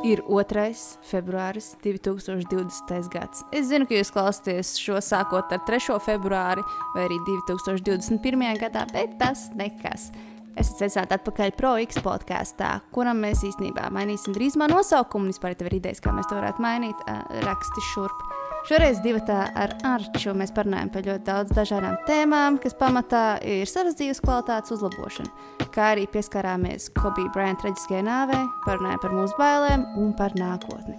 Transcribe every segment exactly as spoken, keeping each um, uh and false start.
Ir otrais februāris divi tūkstoši divdesmitais gads. Es zinu, ka jūs klausāties šo sākot ar trešo februāri vai arī divi tūkstoši divdesmit pirmajā gadā, bet tas nekas. Esat sveicināti atpakaļ Pro X podkāstā, kuram mēs īstenībā mainīsim drīzumā nosaukumu. Vispār, ja tev ir idejas, kā mēs to varētu mainīt, raksti šurp. Šoreiz divatā ar Arču mēs parunājam par ļoti daudz dažādām tēmām, kas pamatā ir savas dzīves kvalitātes uzlabošana, kā arī pieskarāmies Kobe Bryant traģiskajai nāvei, parunājam par mūsu bailēm un par nākotni.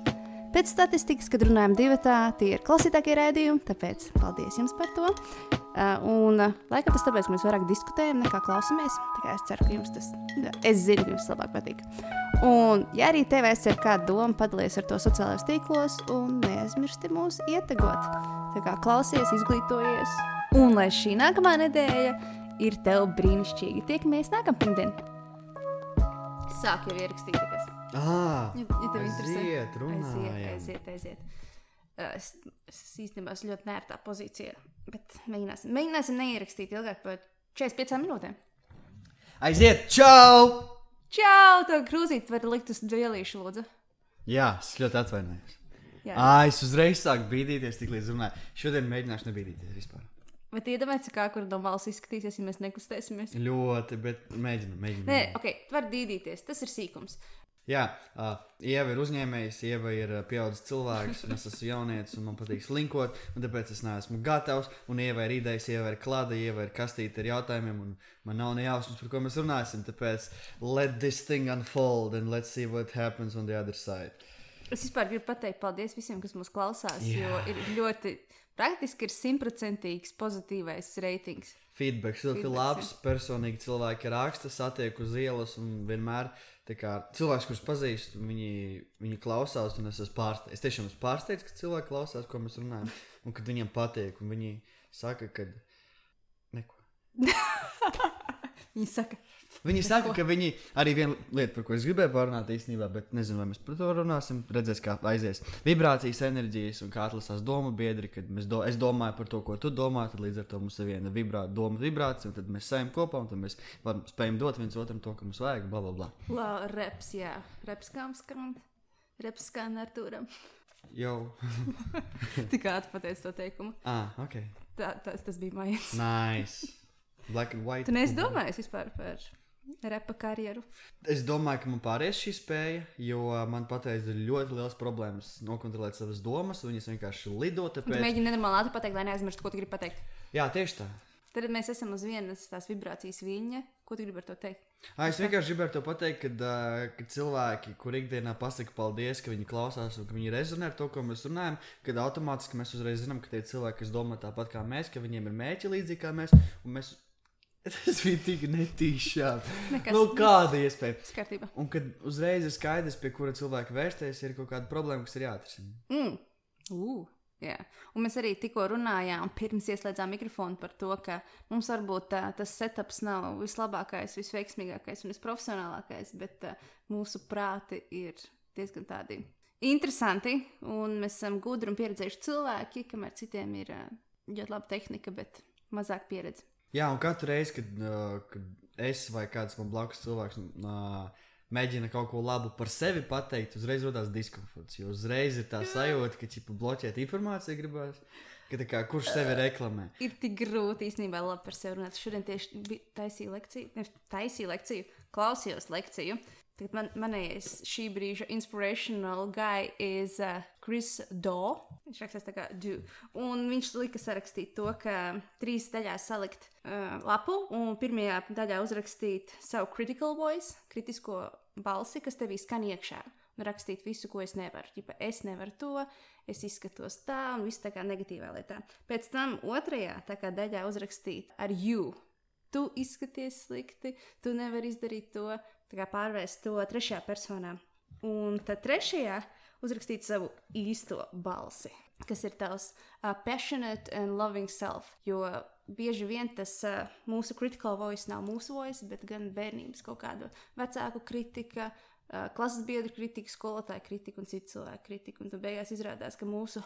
Pēc statistikas, kad runājam divatā, tie ir klausītākie raidījumi, tāpēc paldies jums par to. Uh, un uh, laikam tas tāpēc, ka mēs vairāk diskutējam nekā klausamies, tā kā es ceru, ka jums tas, es zinu, ka jums labāk patīk. Un, ja arī tev ir kāda doma, padalies ar to sociālajos tīklos un neaizmirsti mūs ietegot. Tā kā klausies, izglītojies. Un lai šī nākamā nedēļa ir tev brīnišķīgi. Tiekamies nākamā pirmdien. Sāk jau ierakstīt, kas. Ah, ja, ja tev aiziet, runājam. Aiziet, aiziet, aiziet. Es, es īstenībā esmu ļoti nērtā pozīcijā, bet mēģināsim, mēģināsim neierakstīt ilgāk par četrdesmit piecām minūtēm. Aiziet, čau! Čau, tev krūzīt var likt uz dvielīšu, lūdzu. Jā, es ļoti atvainojos. Jā. Ā, es uzreiz sāku bīdīties, tik līdz runāju. Šodien mēģināšu nebīdīties vispār. Bet iedomājies, kā kur no malas izskatīsies, ja mēs nekustēsimies? Ļoti, bet mēģinu, mēģinu. Nē, ok, tu vari dīdīties, tas ir sīkums. Jā, uh, Ieva ir uzņēmējs, Ieva ir uh, pieaudzis cilvēks, un es esmu jaunietis, un man patīk slinkot, un tāpēc es neesmu gatavs, un Ieva ir idejas, Ieva ir klāda, Ieva ir kastīte ar jautājumiem, un man nav ne jausmas, par ko mēs runāsim, tāpēc let this thing unfold, and let's see what happens on the other side. Es vispār gribu pateikt paldies visiem, kas mūs klausās, Jā. jo ir ļoti, praktiski ir simtprocentīgs pozitīvais reitings. Feedbacks ļoti labs, personīgi cilvēki raksta, satiek uz ielas, un vienmēr tā kā cilvēks, kurus pazīstu, viņi, viņi klausās, un es esmu pārsteigts. Es tiešām esmu pārsteigts, ka cilvēki klausās, ko mēs runājam, un kad viņiem patīk, un viņi saka, ka neko. Viņi saka. Viņi saka, ka viņi arī viena lieta, par ko es gribēju pārunāt īstenībā, bet nezinu, vai mēs par to runāsim, redzēs, kā aizies vibrācijas, enerģijas un kā atlasās domu biedri, kad mēs do, es domāju par to, ko tu domā, tad līdz ar to mums ir viena vibrā, doma vibrācija, un tad mēs sajam kopā, un tad mēs varam spējam dot viens otram to, ka mums vajag, bla, bla, bla. La, reps, jā. Reps kām skan, reps skan Artūram. Jau. Tikā atpateic to teikumu. Ah, ok. Tā, tā, tas bija mājās. Nice. Black and white. Tu neesi domājis vispār par repa karjeru? Es domāju, ka man pāries šī spēja, jo man pateic ir ļoti liels problēmas nokontrolēt savas domas, un viņas vienkārši lido, tāpēc... Tu mēģini nenormāli ātri pateikt, lai neaizmirstu, ko tu gribi pateikt. Jā, tieši tā. Tad mēs esam uz vienas tās vibrācijas viļņa. Ko tu gribi ar to teikt? À, es vienkārši gribēju to pateikt, kad, uh, kad cilvēki, kur ikdienā pasaka paldies, ka viņi klausās un ka viņi rezonē ar to, ko mēs runājam, kad automātiski mēs uzreiz zinām, ka tie cilvēki, kas domā tāpat kā mēs, ka viņiem ir mērķi līdzīgi kā mēs, un mēs... Tas bija tik netīšām. Nekas, nu, kāda iespēja? Skartība. Un kad uzreiz ir skaidrs, pie kura cilvēka vērsties, ir kaut kāda problēma, kas ir jāatrisina. Mm. Uh, jā. Un mēs arī tikko runājām, pirms ieslēdzām mikrofonu par to, ka mums varbūt tā, tas setups nav vislabākais, visveiksmīgākais un visprofesionālākais, bet tā, mūsu prāti ir diezgan tādi interesanti, un mēs esam gudri un pieredzējuši cilvēki, kamēr citiem ir ļoti laba tehnika, bet mazāk pieredze. Jā, un katru reizi, kad, uh, kad es vai kāds man blakus cilvēks uh, mēģina kaut ko labu par sevi pateikt, uzreiz rodās diskomforts, jo uzreiz ir tā sajūta, ka ķipa bloķēt informāciju gribās, ka tā kā kurš sevi reklamē. Ir tik grūti īstenībā labi par sevi runāt. Šodien tieši taisīju lekciju, ne taisīju lekciju, klausījos lekciju. Tagad man, manējais šī brīža inspirational guy is uh, Chris Do. Viņš rakstās tā kā do. Un viņš lika sarakstīt to, ka trīs daļās salikt uh, lapu un pirmajā daļā uzrakstīt savu critical voice, kritisko balsi, kas tevī skan iekšā. Un rakstīt visu, ko es nevaru. Ķipa, es nevaru to, es izskatos tā un viss tā kā negatīvā lietā. Pēc tam otrajā tā kā daļā uzrakstīt ar you. Tu izskaties slikti, tu nevari izdarīt to, tā kā pārvērst to trešajā personā. Un tad trešajā uzrakstīt savu īsto balsi, kas ir tavs uh, passionate and loving self, jo bieži vien tas uh, mūsu critical voice nav mūsu voice, bet gan bērnības kaut kāda vecāku kritika, uh, klases biedru kritika, skolotāja kritika un citu cilvēku kritika. Un tad beigās izrādās, ka mūsu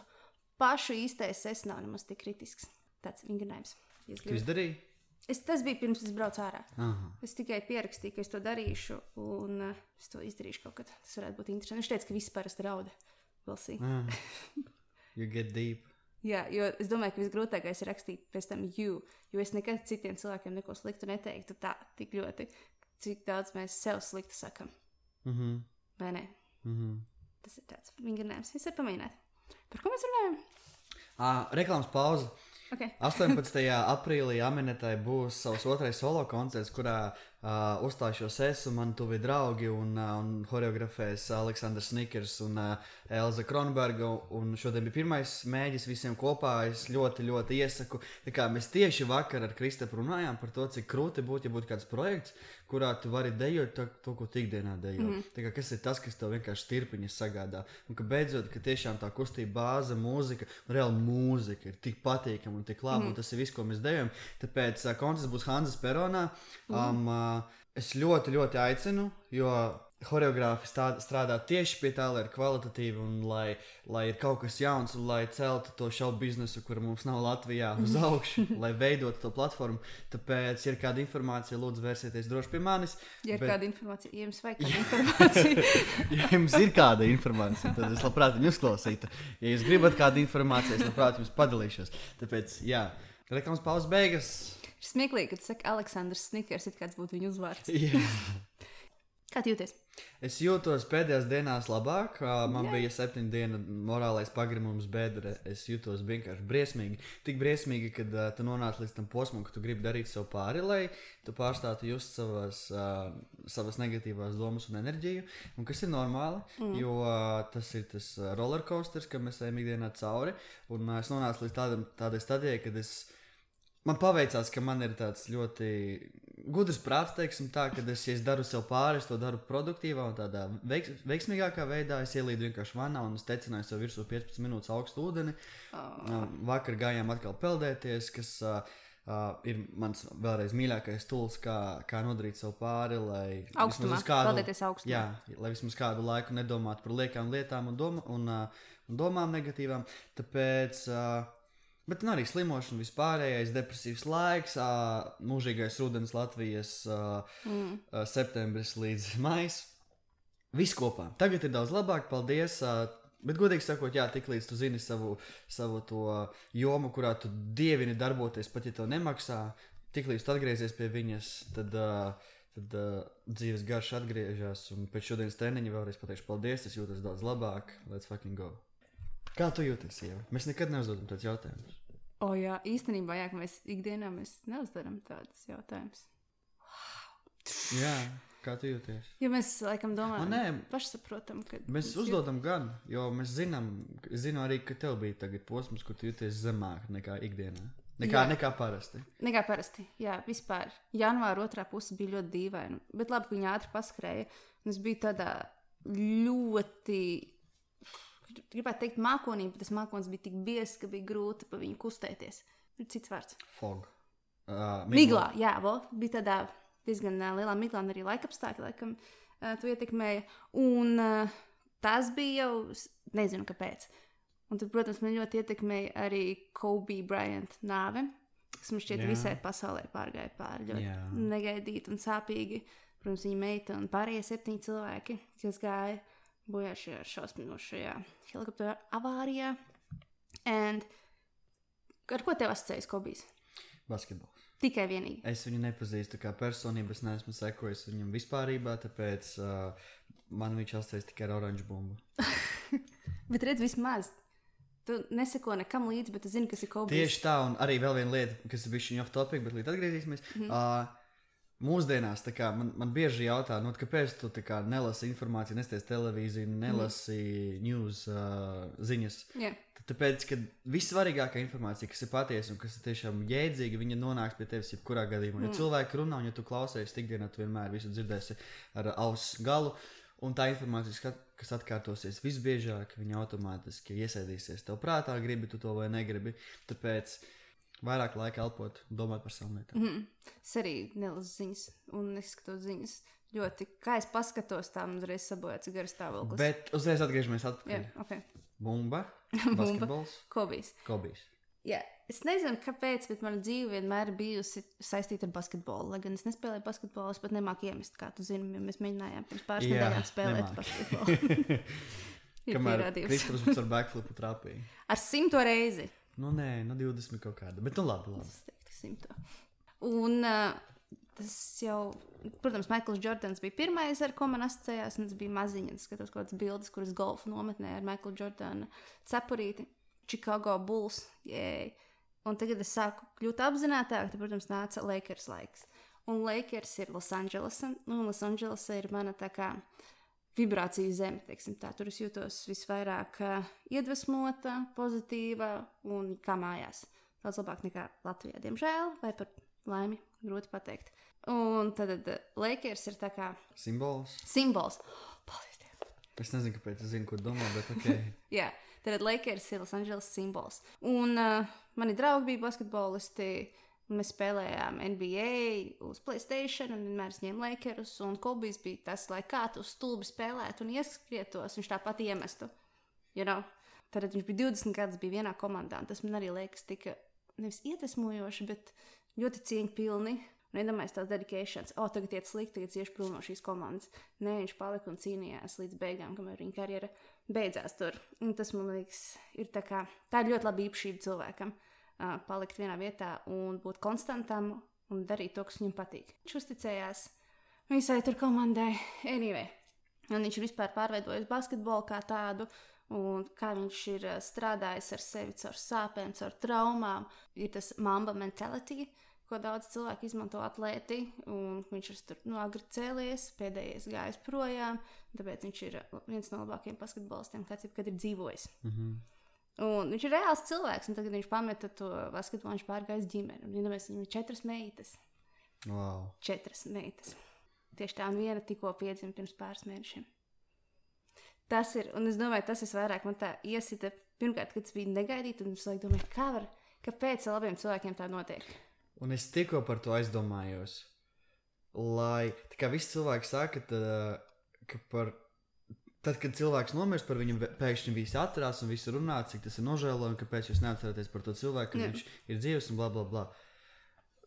pašu īstais es nav nemaz tik kritisks. Tāds vingrinājums. Tu izdarīji? Es, tas bija pirms es braucu ārā. Aha. Es tikai pierakstīju, ka es to darīšu, un uh, es to izdarīšu kaut kad. Tas varētu būt interesanti. Viņš teica, ka viss parasti rauda. We'll see. Ah. You get deep. Jā, jo es domāju, ka visgrūtākais ir rakstīt pēc tam you, jo es nekad citiem cilvēkiem neko sliktu neteiktu tā, tik ļoti, cik daudz mēs sev sliktu sakam. Mhm. Vai ne? Mhm. Tas ir tāds vingrinājums. Es varu pamēģināt. Par ko mēs runājam? Ah, reklāmas pauze. Okay. astoņpadsmitajā aprīlī Aminetai būs savs otrais solo koncerts, kurā uh, uzstāšos es un man tuvi draugi un, uh, un horeografēs Aleksandrs Snikers un uh, Elza Kronberga. Un šodien bija pirmais mēģis visiem kopā. Es ļoti, ļoti iesaku. Tā kā mēs tieši vakar ar Kristapu runājām par to, cik krūti būtu, ja būtu kāds projekts, kurā tu vari dejot to, to ko tu ikdienā dejo. Mm. Tā kā kas ir tas, kas tev vienkārši tirpiņas sagādā. Un ka beidzot, ka tiešām tā kustība bāze, mūzika, reāli mūzika ir tik patīkama un tik labi, mm. un tas ir viss, ko mēs dejam. Tāpēc uh, koncerts būs Hanzas peronā. Mm. Um, uh, es ļoti, ļoti aicinu, jo horeogrāfi strādā tieši pie tā, lai ir kvalitatīvi un lai, lai ir kaut kas jauns un lai celtu to šovu biznesu, kura mums nav Latvijā, uz augšu, lai veidotu to platformu. Tāpēc, ja ir kāda informācija, lūdzu vērsieties droši pie manis. Ja ir bet... kāda informācija, ja jums vajag kāda informācija. Ja jums ir kāda informācija, tad es labprāt viņu uzklausītu. Ja jūs gribat kādu informāciju, es labprāt jums padalīšos. Tāpēc, jā, reklāmas pauzes beigas. Ir smieklīgi, kad tu saki Aleksandrs Snikers, it kāds būtu viņa uzvārds. Jā. Kā tu jūties? Es jūtos pēdējās dienās labāk. Man yeah. bija septiņu dienu morālais pagrimums, bet es jūtos vienkārši briesmīgi. Tik briesmīgi, kad uh, tu nonāc līdz tam posmam, ka tu gribi darīt sev pāri, lai tu pārstātu just savas, uh, savas negatīvās domas un enerģiju. Un kas ir normāli, mm. jo uh, tas ir tas rollercoasters, kam mēs ejam ikdienā cauri. Un uh, es nonācu līdz tādam, tādai stadijai, kad es... Man paveicās, ka man ir tāds ļoti gudrs prāts, teiksim tā, ka es, ja es daru sev pāri, es to daru produktīvā un tādā veiks, veiksmīgākā veidā. Es ielīdu vienkārši vannā un es tecināju sev virsū piecpadsmit minūtes augstu ūdeni. Oh. Vakar gājām atkal peldēties, kas uh, uh, ir mans vēlreiz mīļākais tools, kā, kā nodarīt sev pāri, lai augstumā, kādu, peldēties augstumā. Jā, lai vismaz kādu laiku nedomātu par liekām lietām un, doma, un, uh, un domām negatīvām. Tāpēc... Uh, Bet nu, arī slimošana, vispārējais depresīvs laiks, ā, mūžīgais rudens Latvijas ā, mm. ā, septembris līdz maijs. Viss kopā. Tagad ir daudz labāk, paldies. Ā, bet, godīgi sakot, jā, tik līdz tu zini savu, savu to jomu, kurā tu dievini darboties, pat ja tev nemaksā, tik līdz tu atgriezies pie viņas, tad, ā, tad ā, dzīves garš atgriežas. Un pēc šodienas treniņa vēlreiz pateikšu paldies, es jūtos daudz labāk. Let's fucking go. Kā tu jūties, Ieva? Mēs nekad neuzdodam tādus jautājumus. O oh, jā, īstenībā, jā, ka mēs ikdienā mēs neuzdaram tādus jautājumus. Wow. Jā, kā tu jūties? Jo mēs, laikam, domājam, nē, pašsaprotam, ka... Mēs uzdodam jūt... gan, jo mēs zinām, zinu arī, ka tev bija tagad posms, kur tu jūties zemāk nekā ikdienā. Nekā, nekā parasti. Nekā parasti, jā, vispār. Janvāra otrā puse bija ļoti dīvaina, bet labi, ka viņa ātri paskrēja. Un es biju tādā ļoti... Gribētu teikt mākonī, bet tas mākonis bija tik biezs, ka bija grūti pa viņu kustēties. Ir cits vārds. Fog. Uh, miglā. miglā, jā, vo, bija tādā diezgan uh, lielā miglā, un arī laikapstākļi, laikam, uh, to ietekmēja. Un uh, tas bija jau, nezinu, kāpēc. Un tad, protams, man ļoti ietekmēja arī Kobe Bryant nāve, kas man šķiet jā. Visai pasaulē pārgāja pāri ļoti jā. Negaidīti un sāpīgi. Protams, viņa meita un pārējie septiņi cilvēki, kas gāja bojā šajā šausminošajā helikoptera avārijā. And ar ko tev asociējas Kobijs? Basketbols. Tikai vienīgi. Es viņu nepazīstu kā personību, es neesmu sekojis viņam vispārībā, tāpēc uh, man viņš asociējas tikai ar oranžu bumbu. Bet redz, vismaz. Tu neseko nekam līdzi, bet tu zini, kas ir Kobijs. Tieši tā, un arī vēl viena lieta, kas ir bišķiņ off topic, bet līdz atgriezīsimies. Mm-hmm. Uh, Mūsdienās kā, man, man bieži jautā, nu, kāpēc tu kā, nelasi informāciju, nesties televīziju, nelasi mm. news uh, ziņas. Yeah. Tāpēc, ka vissvarīgākā informācija, kas ir patiesa un kas ir tiešām jēdzīga, viņa nonāks pie tevis jebkurā gadījumā. Mm. Ja cilvēki runā un ja tu klausies ikdienā, tu vienmēr visu dzirdēsi ar auss galu. Un tā informācija, kas atkārtosies visbiežāk, viņa automātiski iesēdīsies tev prātā, gribi tu to vai negribi. Tāpēc vairāk laika elpot, domāt par savām lietām. Mm. Es arī nelasu ziņas un neskatos ziņas. Ļoti, kā es paskatos, tā man uzreiz sabojāts garas stāvoklis. Bet uzreiz atgriežamies atpakaļ. Yeah, okay. Bumba, basketbols. Kobijs. Kobijs. Jā, es nezinu, kāpēc, bet mana dzīve vienmēr ir bijusi saistīta ar basketbolu. Lai gan es nespēlēju basketbolu, es pat nemāku iemest, kā tu zini, ja mēs mēģinājām pirms pāris Jā, nedēļām spēlēt nemāk. basketbolu. Kamēr Kristaps ar backflipu trāpīja. Ar simto reizi. Nu nē, nu divdesmit kaut kāda, bet nu labi, labi. Es teiktu simto. Un uh, tas jau, protams, Maikls Jordans bija pirmais, ar ko man asociējās, un tas bija maziņa. Es skatos kaut kādas bildes, kuras golfu nometnē ar Maiklu Jordanu cepurīti. Chicago Bulls, jēj. Un tagad es sāku kļūt apzinātāk, tad, protams, nāca Lakers laiks. Un Lakers ir Losandželesa, un Losandželesa ir mana tā kā vibrāciju zeme, teiksim tā. Tur es jūtos visvairāk uh, iedvesmota, pozitīva un kā mājās. Daudz labāk nekā Latvijā, diemžēl, vai par laimi, grūti pateikt. Un tad uh, Lakers ir tā kā... Simbols? Simbols. Paldies Dievam. Es nezinu, kāpēc es zinu, ko domā, bet ok. Jā. Tad Lakers ir Losandželes simbols. Un uh, mani draugi bija basketbolisti, un mēs spēlējām N B A uz PlayStation, un vienmēr es ņēmu Lakerus, un Kobijs bija tas, lai kā tu stulbi spēlētu un ieskrietos, viņš tāpat iemestu. You know? Tad viņš bija divdesmit gadus, bija vienā komandā, un tas man arī liekas tika nevis iedvesmojoši, bet ļoti cieņpilni. Un iedomājies tās dedications, o, tagad iet slikti, tagad iešu prom no šīs komandas. Nē, viņš palika un cīnījās līdz beigām, kamēr viņa karjera beidzās tur. Un tas, man liekas, ir tā kā, tā ir ļoti laba īpašība cilvēkam, uh, palikt vienā vietā un būt konstantam un darīt to, kas viņam patīk. Viņš uzticējās visai tur komandai, anyway. Un viņš ir vispār pārveidojis basketbolu kā tādu, un kā viņš ir uh, strādājis ar sevi caur sāpēm, caur traumām. Ir tas Mamba mentality, ko daudz cilvēku izmanto atlēti, un viņš ir tur nu, agri cēlies, pēdējais gājis projām, tāpēc viņš ir viens no labākajiem basketbolistiem, kāds jebkad ir dzīvojis. Mm-hmm. Un viņš ir reāls cilvēks, un tagad viņš pameta to basketbolu, viņš pārgājis ģimeni. Un iedomājies, viņam ir četras meitas. Wow. Četras meitas. Tieši tā, un viena tikko piedzima pirms pāris mēnešiem. Tas ir, un es domāju, tas visvairāk man tā iesita, pirmkārt, kad tas bija negaidīti, un es laikam domāju, kā var, kāpēc labiem cilvēkiem tā notiek? Un es tikko par to aizdomājos, lai, tā kā visi cilvēki saka, tad, ka par, tad, kad cilvēks nomirst, par viņu pēkšņi visi atcerās un visi runā, cik tas ir nožēlojami, kāpēc jūs neatceraties par to cilvēku, ka viņš ir dzīves un bla, bla, bla.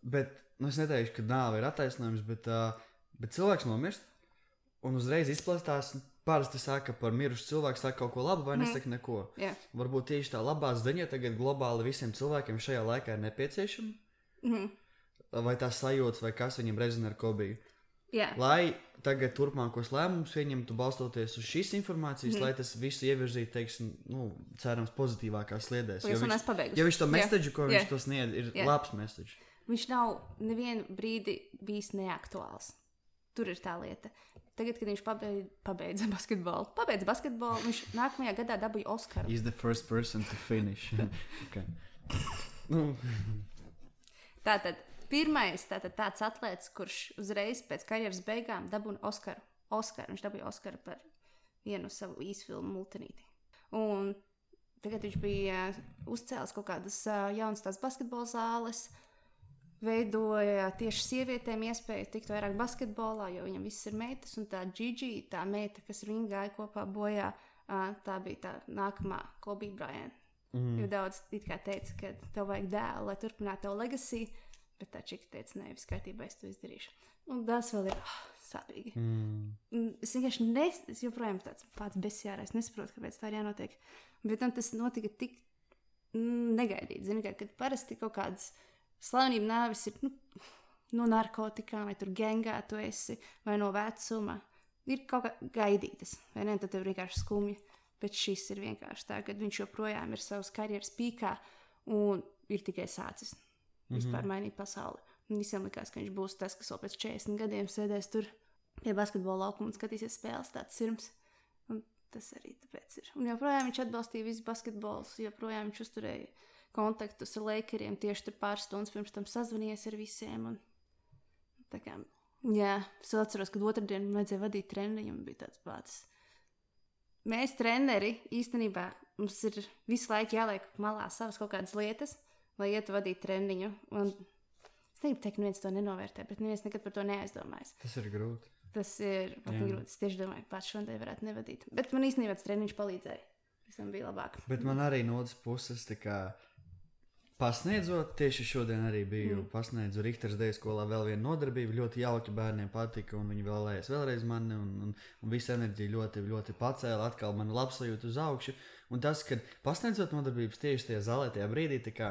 Bet, nu es neteikšu, ka nāve ir attaisnojums, bet, uh, bet cilvēks nomirst un uzreiz izplastās, parasti saka par mirušu cilvēku, saka kaut ko labu vai nesaka neko. Yeah. Varbūt tieši tā labā ziņa tagad globāli visiem cilvēkiem šajā laikā ir nepieciešama. Mm-hmm. Vai tās sajūtas, vai kas viņam rezonē ar Kobiju. Yeah. Lai tagad turpmākos lēmumus pieņemtu balstoties uz šīs informācijas, mm-hmm. lai tas visu ievirzītu, teiksim, nu, cerams, pozitīvākās sliedēs. Jo viņš, jo viņš to message, ko yeah. viņš to sniedz, ir yeah. labs message. Viņš nav nevienu brīdi bijis neaktuāls. Tur ir tā lieta. Tagad, kad viņš pabeidza, pabeidza basketbolu, pabeidza basketbolu, viņš nākamajā gadā dabūja Oskaru. He's the first person to finish. Okay. Nu... Tātad, pirmais tātad, tāds atlēts, kurš uzreiz pēc karjeras beigām dabūja Oskaru. Oskaru. Viņš dabūja Oskaru par vienu savu īsfilmu Multinīti. Un tagad viņš bija uzcēlis kaut kādas jaunas tās basketbola zāles, veidoja tieši sievietēm iespēju tikt vairāk basketbolā, jo viņam viss ir meitas, un tā Gigi, tā meita, kas ar viņu gāja kopā bojā, tā bija tā nākamā Kobe Bryant. Mm. Jo daudz it kā teica, ka tev vajag dēlu, lai turpinātu tavu legacy, bet tā čika teica, nē, viss kārtībā, es to izdarīšu. Un tas vēl ir oh, sāpīgi. Mm. Es vienkārši nes, es joprojām tāds pats besjārā, es nesaprotu, kāpēc tā ir jānotiek. Bet tam tas notika tik mm, negaidīt, zini, kā, kad parasti kaut kādas slavenība nāvis ir nu, no narkotikām, vai tur gengā tu esi, vai no vecuma. Ir kaut kā gaidītas, vai ne, tad tev vienkārši skumja. Bet šis ir vienkārši tā, kad viņš joprojām ir savas karjeras pīkā un ir tikai sācis mm-hmm. vispār mainīt pasauli. Un visiem likās, ka viņš būs tas, kas vēl pēc četrdesmit gadiem sēdēs tur pie basketbola laukuma un skatīsies spēles, tāds sirms. Un tas arī tāpēc ir. Un joprojām viņš atbalstīja visu basketbolus, joprojām viņš uzturēja kontaktus ar Lakeriem, tieši tur pāris stundas pirms tam sazvanījies ar visiem. Un tā kā, jā, es atceros, kad otrdien man vajadzēja vadīt treniņu un bija tāds pats. Mēs, treneri, īstenībā mums ir visu laiku jāliek malā savas kaut kādas lietas, lai ietu vadīt treniņu. Un es negribu teikt, ka neviens to nenovērtē, bet neviens nekad par to neaizdomājas. Tas ir grūti. Tas ir pat grūti. Es tieši domāju, ka pats šodien varētu nevadīt. Bet man īstenībā tas treniņš palīdzēja. Visam bija labāk. Bet man arī no otras puses, tā kā pasniedzot, tieši šodien arī biju mm. pasniedzu Richters Deju skolā vēl vienu nodarbību, ļoti jauki, bērniem patika, un viņi vēlējās vēlreiz mani, un, un, un visa enerģija ļoti, ļoti pacēla, atkal man labsajūta uz augšu, un tas, kad pasniedzot nodarbības tieši tajā zālē, tajā brīdī, tā kā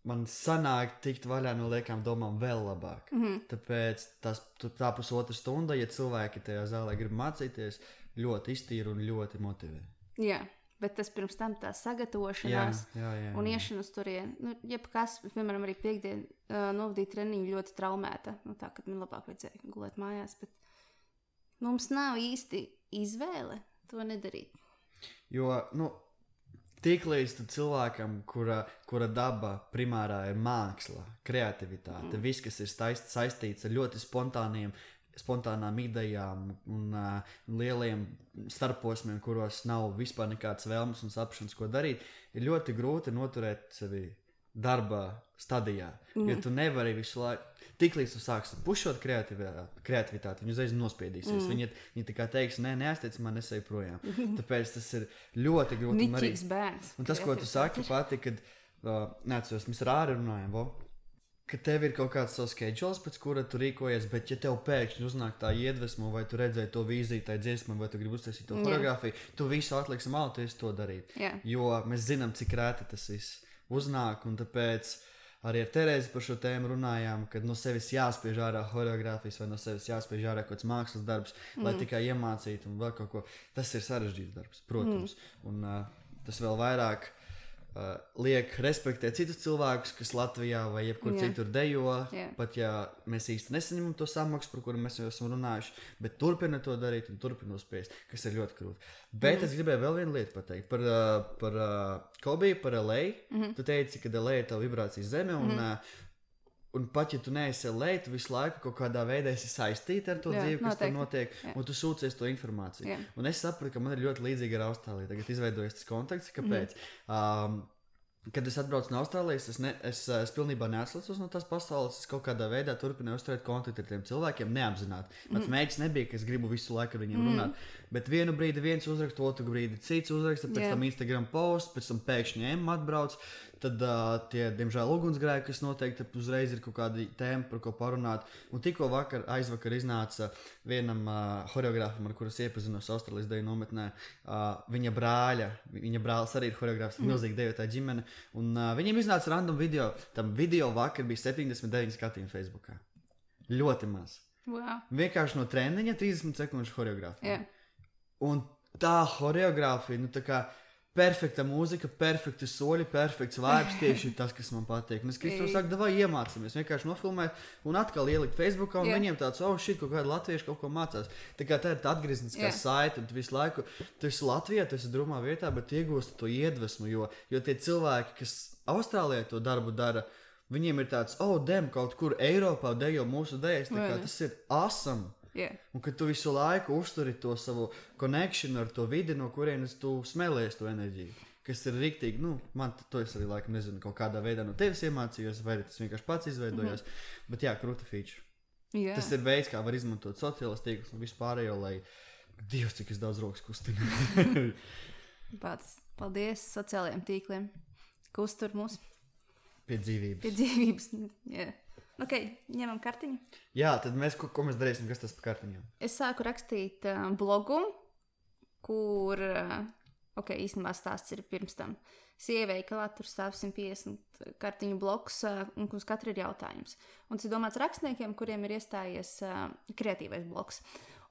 man sanāk tikt vaļā no liekām domām vēl labāk. Mm-hmm. Tāpēc tas, tā pusotra stunda, ja cilvēki tajā zālē grib mācīties, ļoti iztīra un ļoti motivē. Jā. Bet tas pirms tam tā sagatavošanās jā, jā, jā, jā. un iešana uz turieni. Nu, jebkas, piemēram, arī piekdien uh, novadīja treniņu ļoti traumēta. Nu, tā, kad man labāk vajadzēja gulēt mājās. Bet mums nav īsti izvēle to nedarīt. Jo, nu, tiklīdz cilvēkam, kura, kura daba primārā ir māksla, kreativitāte, mm. viss, kas ir staist, saistīts ar ļoti spontāniem spontānām idejām un uh, lieliem starposmiem, kuros nav vispār nekādas vēlmes un sapšanas, ko darīt, ir ļoti grūti noturēt sevi darba stadijā. Mm. Jo tu nevari visu laiku, tiklīdz tu sāksi pušot kreativitāti, kreativitāti viņi uzreiz nospiedīsies. Mm. Viņi, viņi tā kā teiks, nē, neaizteic man, es eju projām. Tāpēc tas ir ļoti grūti. Niķīgs bērns. Un tas, ko tu saki pati, kad, uh, neatceros, mēs ar Āri runājam, vo? Ka tev ir kaut kāds savs schedules, pēc kura tu rīkojies, bet ja tev pēkšņi uznāk tā iedvesma, vai tu redzēji to vīziju, tai dziesmai, vai tu gribi uztaisīt to choreogrāfiju, tu visu atliksi malu, tu esi to darīt. Jā. Jo mēs zinām, cik rēti tas viss uznāk, un tāpēc arī ar Terēzi par šo tēmu runājām, kad no sevis jāspiež ārā choreogrāfijas, vai no sevis jāspiež ārā kaut kāds mākslas darbs, mm. lai tikai iemācītu un vēl kaut ko. Tas ir sarežģīts darbs, protams. Mm. Un uh, tas vēl vairāk Uh, liek respektēt citus cilvēkus, kas Latvijā vai jebkur yeah. citur dejo, yeah. pat ja mēs īsti nesaņemam to samaksu, par kuru mēs jau esam runājuši, bet turpina to darīt un turpina uzspiest, kas ir ļoti krūti. Bet mm. es gribēju vēl vienu lietu pateikt par, uh, par uh, Kobiju, par L A. Mm-hmm. Tu teici, ka L A ir tā vibrācijas zeme, un, mm-hmm. uh, un pat ja tu neesi L A, tu visu laiku kaut kādā veidā esi saistīta ar to yeah, dzīvi, kas noteikti. Tur notiek, yeah. un tu sūcies to informāciju. Yeah. Un es sapratu, ka man ir ļoti līdzīga ar Austrāliju. Tagad izveidojas tas kontakts, kāpēc. Mm-hmm. Um, Kad es atbraucu no Austrālijas, es, ne, es, es pilnībā neatslēdzos no tās pasaules. Es kaut kādā veidā turpināju uzturēt kontaktu ar tiem cilvēkiem, neapzināti. Mans mm. mēģis nebija, ka es gribu visu laiku ar viņiem mm. runāt. Bet vienu brīdi viens uzraksta, otru brīdi cits uzraksta, pēc yeah. tam Instagram posts, pēc tam pēkšņi Emma atbrauc. Tad uh, tie, diemžēl, ugunsgrēki, kas noteikti uzreiz ir kaut kāda tēma, par ko parunāt. Un tikko vakar, aizvakar iznāca vienam uh, choreogrāfam, ar kuras iepazinos Austrālijas deju nometnē, uh, viņa brāļa, viņa brālis arī ir choreogrāfs, mm. milzīgi dejotāja ģimene. Un uh, viņiem iznāca random video. Tam video vakar bija septiņdesmit deviņi skatījumi Facebookā. Ļoti maz. Wow. Vienkārši no treniņa trīsdesmit sekundžu choreogrāfija. Yeah. Un tā choreogrāfija, nu tā kā perfekta mūzika, perfekti soļi, perfekts vibes, tieši tas, kas man patīk. Un es Kristu saku, davai iemācāmies, vienkārši nofilmēt un atkal ielikt Facebookā, un yeah. viņiem tāds, oh, shit, kaut kādi latvieši kaut ko mācās. Tā kā tā ir tā atgriezniskā yeah. saite, un tu visu laiku, tu esi Latvijā, tu esi drūmā vietā, bet iegūsti to iedvesmu, jo, jo tie cilvēki, kas Austrālijā to darbu dara, viņiem ir tāds, oh, dem, kaut kur Eiropā dejo mūsu dejas, tā kā tas ir awesome. Yeah. Un kad tu visu laiku uzturi to savu connection ar to vidi, no kurienes tu smēlies to enerģiju, kas ir riktīgi, nu, man to es arī laikam nezinu, kaut kādā veidā no tevis iemācījos, vai tas vienkārši pats izveidojos, mm-hmm. bet jā, krūta feature. Yeah. Tas ir veids, kā var izmantot sociālās tīklus un vispārējo, lai Dievs, cik es daudz rokas kustinu. Pats, paldies sociālajiem tīkliem, kustur mūs. Pie dzīvības. Pie dzīvības, jā. Yeah. Ok, ņemam kartiņu. Jā, tad mēs, ko, ko mēs darīsim, kas tas par kartiņām? Es sāku rakstīt uh, blogu, kur, uh, ok, īstenībā stāsts ir pirms tam. Es ieveikalā, tur stāv simt piecdesmit kartiņu bloks, uh, un uz katru ir jautājums. Un tas ir domāts rakstniekiem, kuriem ir iestājies uh, kreatīvais bloks.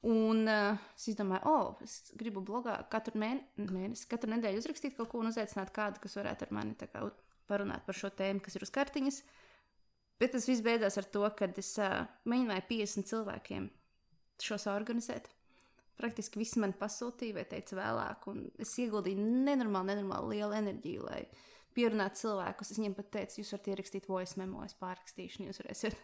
Un uh, es izdomāju, o, oh, es gribu blogā katru mēne- mēnesi, katru nedēļu uzrakstīt kaut ko un uzaicināt kādu, kas varētu ar mani tā kā parunāt par šo tēmu, kas ir uz kartiņas. Bet tas viss beidzās ar to, ka es uh, mēģināju piecdesmit cilvēkiem šo saorganizēt. Praktiski visi man pasūtīja vai teica vēlāk, un es ieguldīju nenormāli, nenormāli lielu enerģiju, lai pierunātu cilvēkus. Es viņiem pat teicu, jūs varat ierakstīt voice memo, es pārrakstīšu, un jūs varēsiet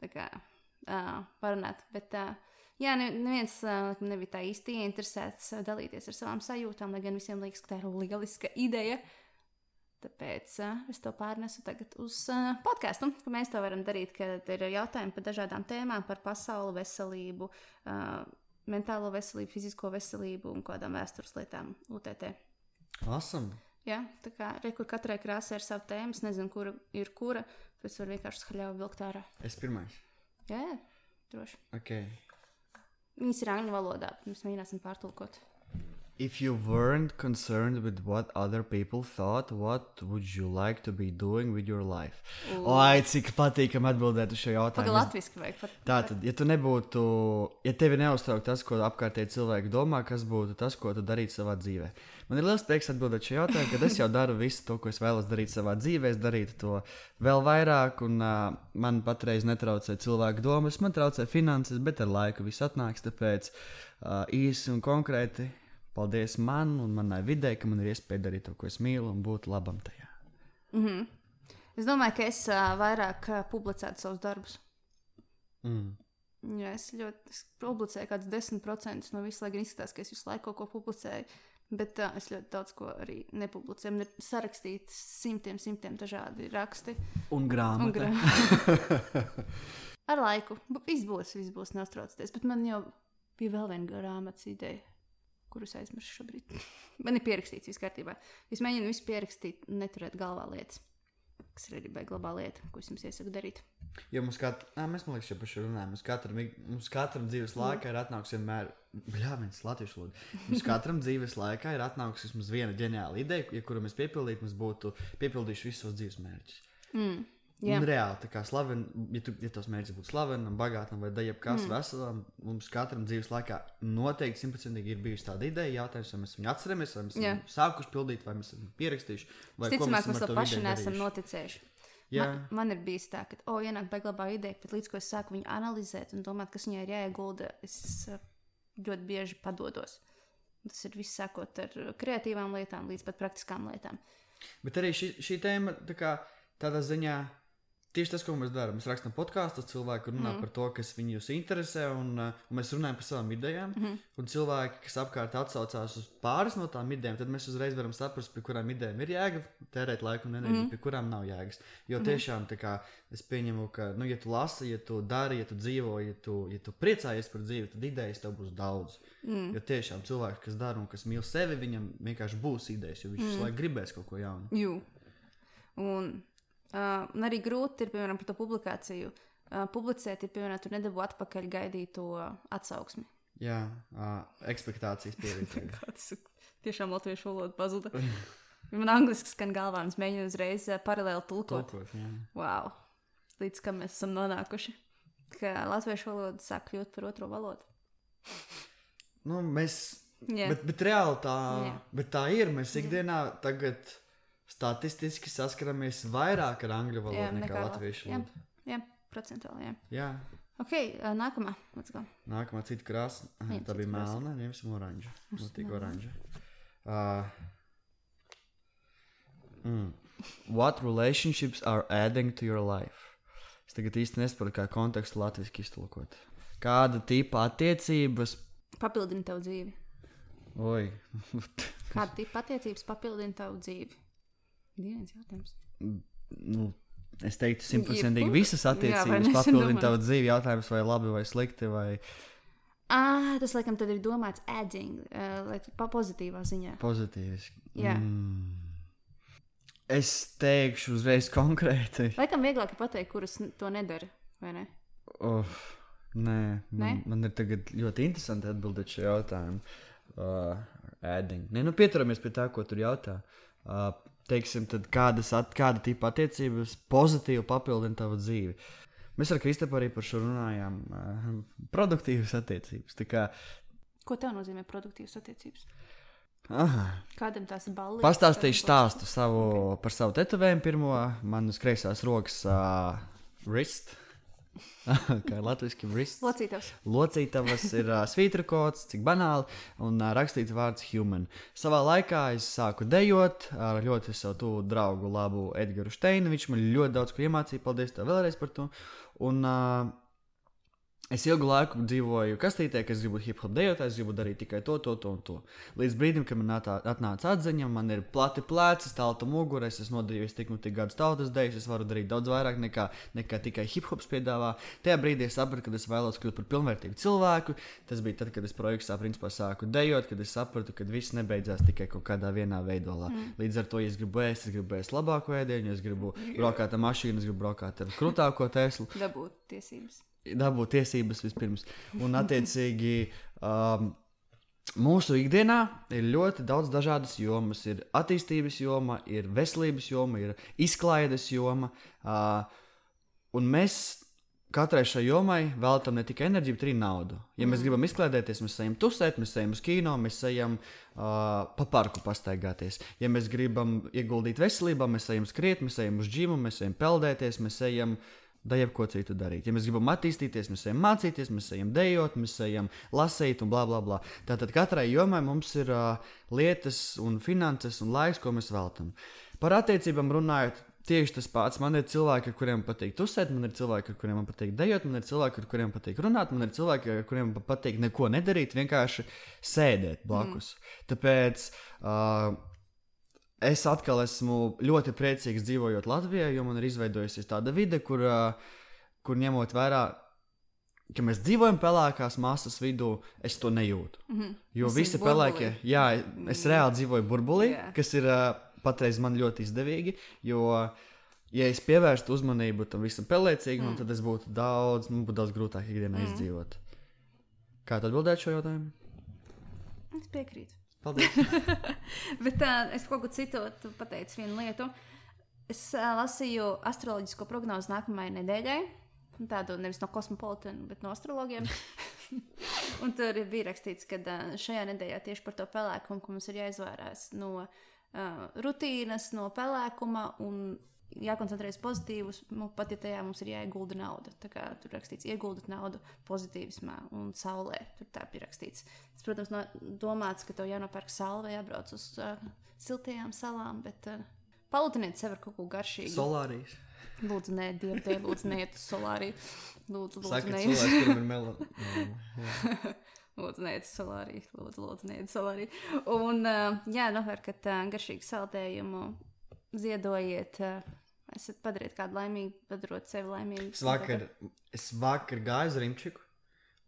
tā kā uh, parunāt. Bet uh, jā, neviens uh, nebija tā īsti ieinteresēts dalīties ar savām sajūtām, lai gan visiem liekas, ka tā ir lieliska ideja. Tāpēc uh, es to pārnesu tagad uz uh, podcastu, ka mēs to varam darīt, kad ir jautājumi par dažādām tēmām, par pasauli, veselību, uh, mentālo veselību, fizisko veselību un kādām vēstures lietām U T T. Awesome. Jā, tā kā re, kur katrai krāsai ir sava tēma, es nezinu, kura ir kura, pēc var vienkārši skaļāvi vilkt ārā. Es pirmais. Jā, jā, droši. Okay. Viņas ir angļu valodā, mēs mēģināsim pārtulkot. If you weren't concerned with what other people thought, what would you like to be doing with your life? O, ai, cik patīkam atbildēt uz šo jautājumu. Paga latviski vajag. Pat, Tātad, ja tu nebūtu, ja tevi neuztrauk tas, ko apkārtēji cilvēki domā, kas būtu tas, ko tu darītu savā dzīvē? Man ir liels prieks atbildēt šo jautājumu, kad es jau daru visu to, ko es vēlos darīt savā dzīvē, es darītu to vēl vairāk, un uh, man patreiz netraucē cilvēku domas, man traucē finanses, bet ar laiku viss atnāks, tāpēc uh, īsi un konkrēti. Paldies man un manai vidē, ka man ir iespēja darīt to, ko es mīlu, un būt labam tajā. Mm-hmm. Es domāju, ka es uh, vairāk uh, publicētu savus darbus. Mm. Jā, es ļoti es publicēju kādus desmit procentus no visu, lai gan izskatās, ka es visu laiku kaut ko publicēju, bet uh, es ļoti daudz ko arī nepublicēju. Man ir sarakstīti simtiem, simtiem dažādi raksti. Un grāmata. Un grāmata. Ar laiku. Viss būs, viss būs, neuztraucieties, bet man jau bija vēl viena grāmatas ideja, kurus aizmirsu šobrīd. Man ir pierakstīts viss kārtībā. Es mēģinu visu pierakstīt, neturēt galvā lietas, kas ir arī baigla labā lieta, ko es jums iesaku darīt. Jo mums katru, nā, mēs man liekas jau par šo runājam, mums katram, mums katram dzīves laikā ir atnāks vienmēr, bļā, viens latviešu lūdzu, mums katram dzīves laikā ir atnāks vismaz viena ģeniāla ideja, ja kuru mēs piepildītu, mums būtu piepildījuši visus savus dzīves mērķus. Mm. Jā. Un reāli, tā kā slaven, ja, tu, ja tos mērķis būtu slavenam, bagātam vai jebkas mm. veselam, mums katram dzīves laikā noteikti simtprocentīgi ir bijusi tāda ideja, jautājums, vai mēs viņu atceramies, vai mēs esam sākuši pildīt, vai mēs esam pierakstījuši, vai ko mēs esam ar to paši neesam noticējuši. Man, man ir bijis tā, ka, o, ienāk baiglabā ideja, bet līdz ko es sāku viņu analizēt un domāt, kas viņai ir jāiegulda, es ļoti bieži padodos. Tas ir viss sākot ar kreatīvām lietām līdz pat praktiskām lietām. Bet arī šī, šī tēma, tā kā tādā ziņā, tieši tas, ko mēs darām. Mēs rakstām podkāstus, cilvēki runā mm. par to, kas viņus interesē, un, un mēs runājam par savām idejām. Mm. Un cilvēki, kas apkārt atsaucās uz pāris no tām idejām, tad mēs uzreiz varam saprast, pie kurām idejām ir jēga tērēt laiku un enerģiju, mm. pie kurām nav jēgas. Jo mm. tiešām tā kā es pieņemu, ka, nu, ja tu lasi, ja tu dari, ja tu dzīvo, ja tu, ja tu priecājies par dzīvi, tad idejas tev būs daudz. Mm. Jo tiešām cilvēks, kas dara un kas mīl sevi, viņam vienkārši būs idejas, jo viņš mm. laiku gribēs kaut ko jaunu. Jū. Un... Uh, un arī grūti ir, piemēram, par to publikāciju. Uh, publicēt ir, piemēram, tu nedabū atpakaļ gaidīto atsauksmi. Jā, uh, ekspektācijas pievienot. Tiešām latviešu valoda pazuda. Man angliski skan galvā, un es mēģinu uzreiz uh, paralēli tulkot. Tulkot, jā. Wow. Līdz kam mēs esam nonākuši. Ka latviešu valoda sāk kļūt par otro valodu. Nu, mēs... Yeah. Bet, bet reāli tā... Yeah. Bet tā ir. Mēs ikdienā yeah. tagad... Statistiski saskaramies vairāk ar angļu valodu jā, nekā, nekā latviešu valodu. Jā, jā, procentuāli, jā. Jā. Ok, uh, nākamā, let's go. Nākamā cita krāsa. Aha, tā bija melna, ņemsim oranžu. Nu, tik oranžu. Uh, mm. What relationships are adding to your life? Es tagad īsti nesaprotu, kā kontekstu latviski iztulkot. Kāda tipa attiecības... Papildina tavu dzīvi. Oi. Kāda tipa attiecības papildina tavu dzīvi? Dienas jautājums. Nu, es teiktu, simtprocentīgi visas attiecības jā, papildina tavu dzīvi. Jautājums, vai labi vai slikti. Vai... Ah, tas, laikam, tad ir domāts adding, uh, like, pa pozitīvā ziņā. Pozitīviski. Jā. Mm. Es teikšu uzreiz konkrēti. Laikam vieglāk ir pateikt, kuras to nedara, vai ne? Oh, nē, man, ne? Man ir tagad ļoti interesanti atbildēt šo jautājumu. Uh, adding. Nē, nu pieturamies pie tā, ko tur jautā. Uh, Teiksim, tad kādas, at, kāda tipa attiecības pozitīvi papildina tavu dzīvi. Mēs ar Kristapu arī par šo runājām. Uh, produktīvas attiecības. Tā kā... Ko tev nozīmē produktīvas attiecības? Aha. Kādam tās balli? Pastāstīšu stāstu savu, okay. par savu tetovējumu pirmo. Man uz kreisās rokas uh, wrist. Kā ir latviski wrist. Locītavs. Locītavas ir uh, svītra kods, cik banāli, un uh, rakstīts vārds human. Savā laikā es sāku dejot ar ļoti savu tuvu draugu labu Edgaru Steinu. Viņš man ļoti daudz ko iemācīja, paldies tev vēlreiz par to. Un uh, Es ilgu laiku dzīvoju kastītē, ka es gribu hip-hop dejot, es gribu darīt tikai to, to, to un to. Līdz brīdim, kad man atā, atnāca atziņa, man ir plati pleci, stalta mugura, es esmu nodarījis tik un tik gadus tautas dejas, es varu darīt daudz vairāk nekā, nekā tikai hip-hops piedāvā. Tajā brīdī es sapratu, ka es vēlos kļūt par pilnvērtīgu cilvēku. Tas bija tad, kad es projektā principā sāku dejot, kad es sapratu, ka viss nebeidzās tikai kaut kādā vienā veidolā. Mm. Līdz ar to, ja es gribu ēst, es gribu ēst labāko ēdienu, es gribu braukāt ar mašīnu, es gribu braukāt ar krūtāko Teslu. Dabūt tiesības. Dabūt tiesības vispirms. Un, attiecīgi, um, mūsu ikdienā ir ļoti daudz dažādas jomas. Ir attīstības joma, ir veselības joma, ir izklaides joma. Uh, un mēs katrai šai jomai veltam ne tikai enerģiju, bet arī naudu. Ja mēs gribam izklaidēties, mēs ejam tusēt, mēs ejam uz kino, mēs ejam uh, pa parku pastaigāties. Ja mēs gribam ieguldīt veselībā, mēs ejam skriet, mēs ejam uz džimu, mēs ejam peldēties, mēs ejam da jebko citu darīt. Ja mēs gribam attīstīties, mēs ejam mācīties, mēs ejam dejot, mēs ejam lasīt un blā, blā, blā. Tātad katrai jomai mums ir uh, lietas un finanses un laiks, ko mēs veltam. Par attiecībām runājot, tieši tas pats. Man ir cilvēki, ar kuriem patīk tusēt, man ir cilvēki, ar kuriem man patīk dejot, man ir cilvēki, ar kuriem patīk runāt, man ir cilvēki, ar kuriem patīk neko nedarīt, vienkārši sēdēt blakus. Mm. Tāpēc uh, es atkal esmu ļoti priecīgs dzīvojot Latvijā, jo man ir izveidojusies tāda vide, kur, uh, kur ņemot vērā, ka mēs dzīvojam pelēkās masas vidū, es to nejūtu. Mm-hmm. Jo es visi pelēkie, jā, es reāli dzīvoju burbulī, yeah. kas ir uh, patreiz man ļoti izdevīgi, jo, ja es pievērstu uzmanību tam visam pelēcīgam, mm. tad es būtu daudz, man būtu daudz grūtāk ikdienā mm. izdzīvot. Kā tu atbildēt šo jautājumu? Es piekrītu. Paldies. Bet uh, es kaut ko citu pateicu vienu lietu. Es uh, lasīju astroloģisko prognozi nākamajai nedēļai. Tādu nevis no kosmopolitiem, bet no astrologiem. Un tur bija rakstīts, ka uh, šajā nedēļā tieši par to pelēkumu, ka mums ir jāizvairās no uh, rutīnas, no pelēkuma un jākoncentrējas pozitīvus, pat ja tajā mums ir jāiegulda nauda. Tā kā tur rakstīts, ieguldat naudu pozitīvismā un saulē. Tur tā bija rakstīts. Tas, protams, no, domāts, ka tev jānopērk saule, jābrauc uz uh, siltajām salām, bet uh, palutiniet sev ar kaut ko garšīgu. Solārijas. Lūdzu, nē, dievdē, lūdzu, neiet uz solāriju. Lūdzu, lūdzu, Saka, neiet. cilvēks, kuram ir melo. Lūdzu, neiet uz solāriju. Lūdzu, lūdzu, neiet uz solāriju. Un, uh, jā, nopērkat uh, garšīgu saldējumu, ziedojiet, uh, esat padariet kādu laimīgu, padarot sevi laimīgu. Es vakar, es vakar gāju uz Rimčiku,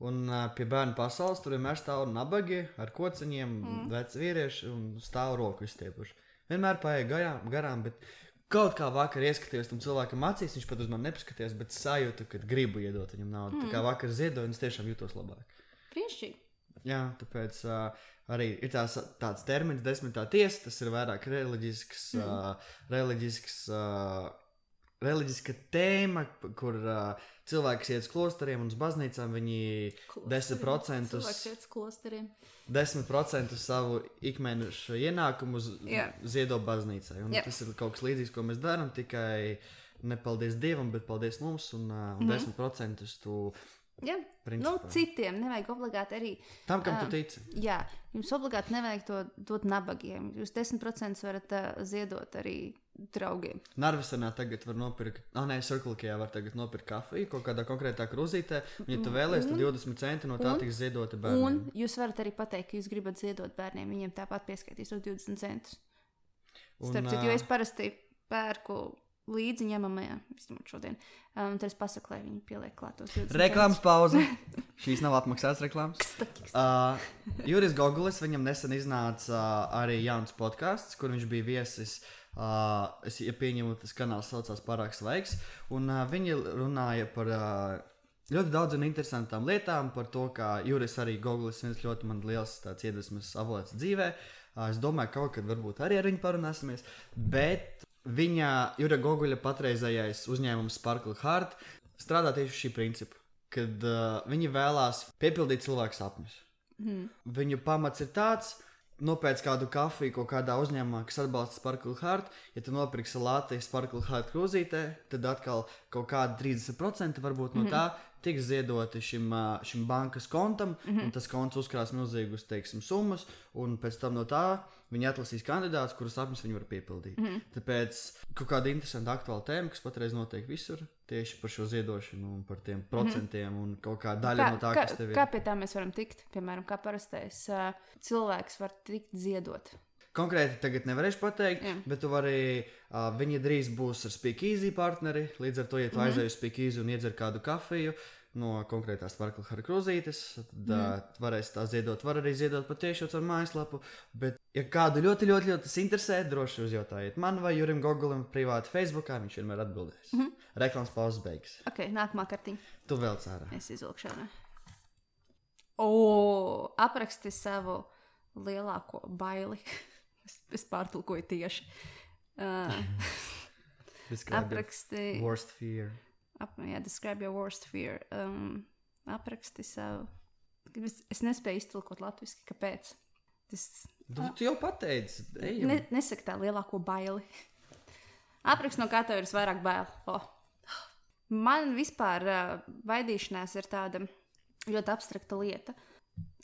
un uh, pie bērnu pasaules tur vienmēr stāv nabagi ar kociņiem, mm. veci vīrieši, un stāv roku izstiepuši. Vienmēr paēja garām, garām, bet kaut kā vakar ieskatījos tam cilvēkam acīs, viņš pat uz mani nepaskatījās, bet sajūtu, ka gribu iedot viņam naudu. Mm. Tā kā vakar ziedoju, un es tiešām jūtos labāk. Priekšķīgi. Jā, tāpēc uh, arī ir tās, tāds termins desmitā tiesa, tas ir vairāk reliģisks, mm. uh, reliģisks, uh, reliģiska tēma, kur uh, cilvēks iet uz klosteriem un uz baznīcām, viņi desmit procentus, desmit procentus savu ikmēneša ienākumu yeah. ziedo baznīcai. Un yeah. tas ir kaut kas līdzīgs, ko mēs darām, tikai ne paldies Dievam, bet paldies mums, un, uh, un mm-hmm. desmit procentus tu Jā, principā. Nu, citiem nevajag obligāti arī. Tam, kam tu tici. Uh, jā, jums obligāti nevajag to dot nabagiem. Jūs desmit procentus varat uh, ziedot arī draugiem. Narvisenā tagad var nopirkt, ah, nē, Cirklikajā var tagad nopirkt kafiju kaut kādā konkrētā krūzītē. Ja tu vēlies, tad divdesmit centi no tā un, tiks ziedoti bērniem. Un jūs varat arī pateikt, ka jūs gribat ziedot bērniem. Viņiem tāpat pieskaitīs tos divdesmit centus. Starp citu, jo es parasti pērku līdzi ņemamajā, vismaz šodien. Un um, tad es pasaku, lai viņi pieliek klāt tos divdesmit. Reklāmas pauze. Šīs nav atmaksāts reklāmas. uh, Juris Gogulis, viņam nesen iznāca uh, arī jauns podcasts, kur viņš bija viesis. Uh, es ja pieņemu, tas kanāls saucās Pārāk svaigs. Un uh, viņi runāja par uh, ļoti daudz un interesantām lietām, par to, kā Juris arī Gogulis viens ļoti man liels tāds iedvesmas avots dzīvē. Uh, es domāju, kaut kad varbūt arī ar viņu parunāsimies. Bet viņa, Jura Goguļa patreizējais uzņēmums Sparkle Heart strādā tieši šī principa, kad uh, viņi vēlās piepildīt cilvēku sapņus. Mm. Viņu pamats ir tāds, nopēc kādu kafiju kaut kādā uzņēmumā, kas atbalsta Sparkle Heart, ja tu nopirksi lāti Sparkle Heart krūzītē, tad atkal kaut kāda trīsdesmit procenti varbūt no tā tiks ziedoti šim, uh, šim bankas kontam, mm -hmm. un tas konts uzkrās milzīgus, teiksim, summas, un pēc tam no tā viņi atlasīs kandidātus, kurus sapņus viņi var piepildīt. Mm -hmm. Tāpēc kaut kāda interesanta aktuāla tēma, kas patreiz notiek visur, tieši par šo ziedošanu un par tiem procentiem mm -hmm. un kaut kā daļa kā, no tā, kā, kas tev ir. Kā pie tā mēs varam tikt? Piemēram, kā parastais uh, cilvēks var tikt ziedot? Konkrēti tagad nevarēšu pateikt, Jā. bet tu vari, uh, viņi drīz būs ar Speakeasy partneri, līdz ar to, ja tu mm -hmm. aizēji uz Speakeasy un iedzer kādu kafiju no konkrētās Varkla Harkrūzītes, tad mm. uh, varēs tā ziedot, var arī ziedot patiešām ar mājaslapu, bet ja kādu ļoti, ļoti, ļoti tas interesē, droši uzjautājiet man vai Jurim Gogulim privāti Facebookā, viņš vienmēr atbildēs. Mm -hmm. Reklāmas pauzes beigas. Ok, nākamā kartiņa. Tu vēl cērā. Es izvilkšu ārā. O, apraksti savu lielāko baili. es, es pārtulkoju tieši. Uh, apraksti... Worst fear. Ap, jā, describe your worst fear. Um, apraksti savu... Es, es nespēju iztulkot latviski. Kāpēc? Tas... Tu, tu jau pateici. Ne, nesaka tā lielāko baili. Apraksti, no kā tev ir visvairāk bail. Oh. Man vispār uh, baidīšanās ir tāda ļoti abstrakta lieta,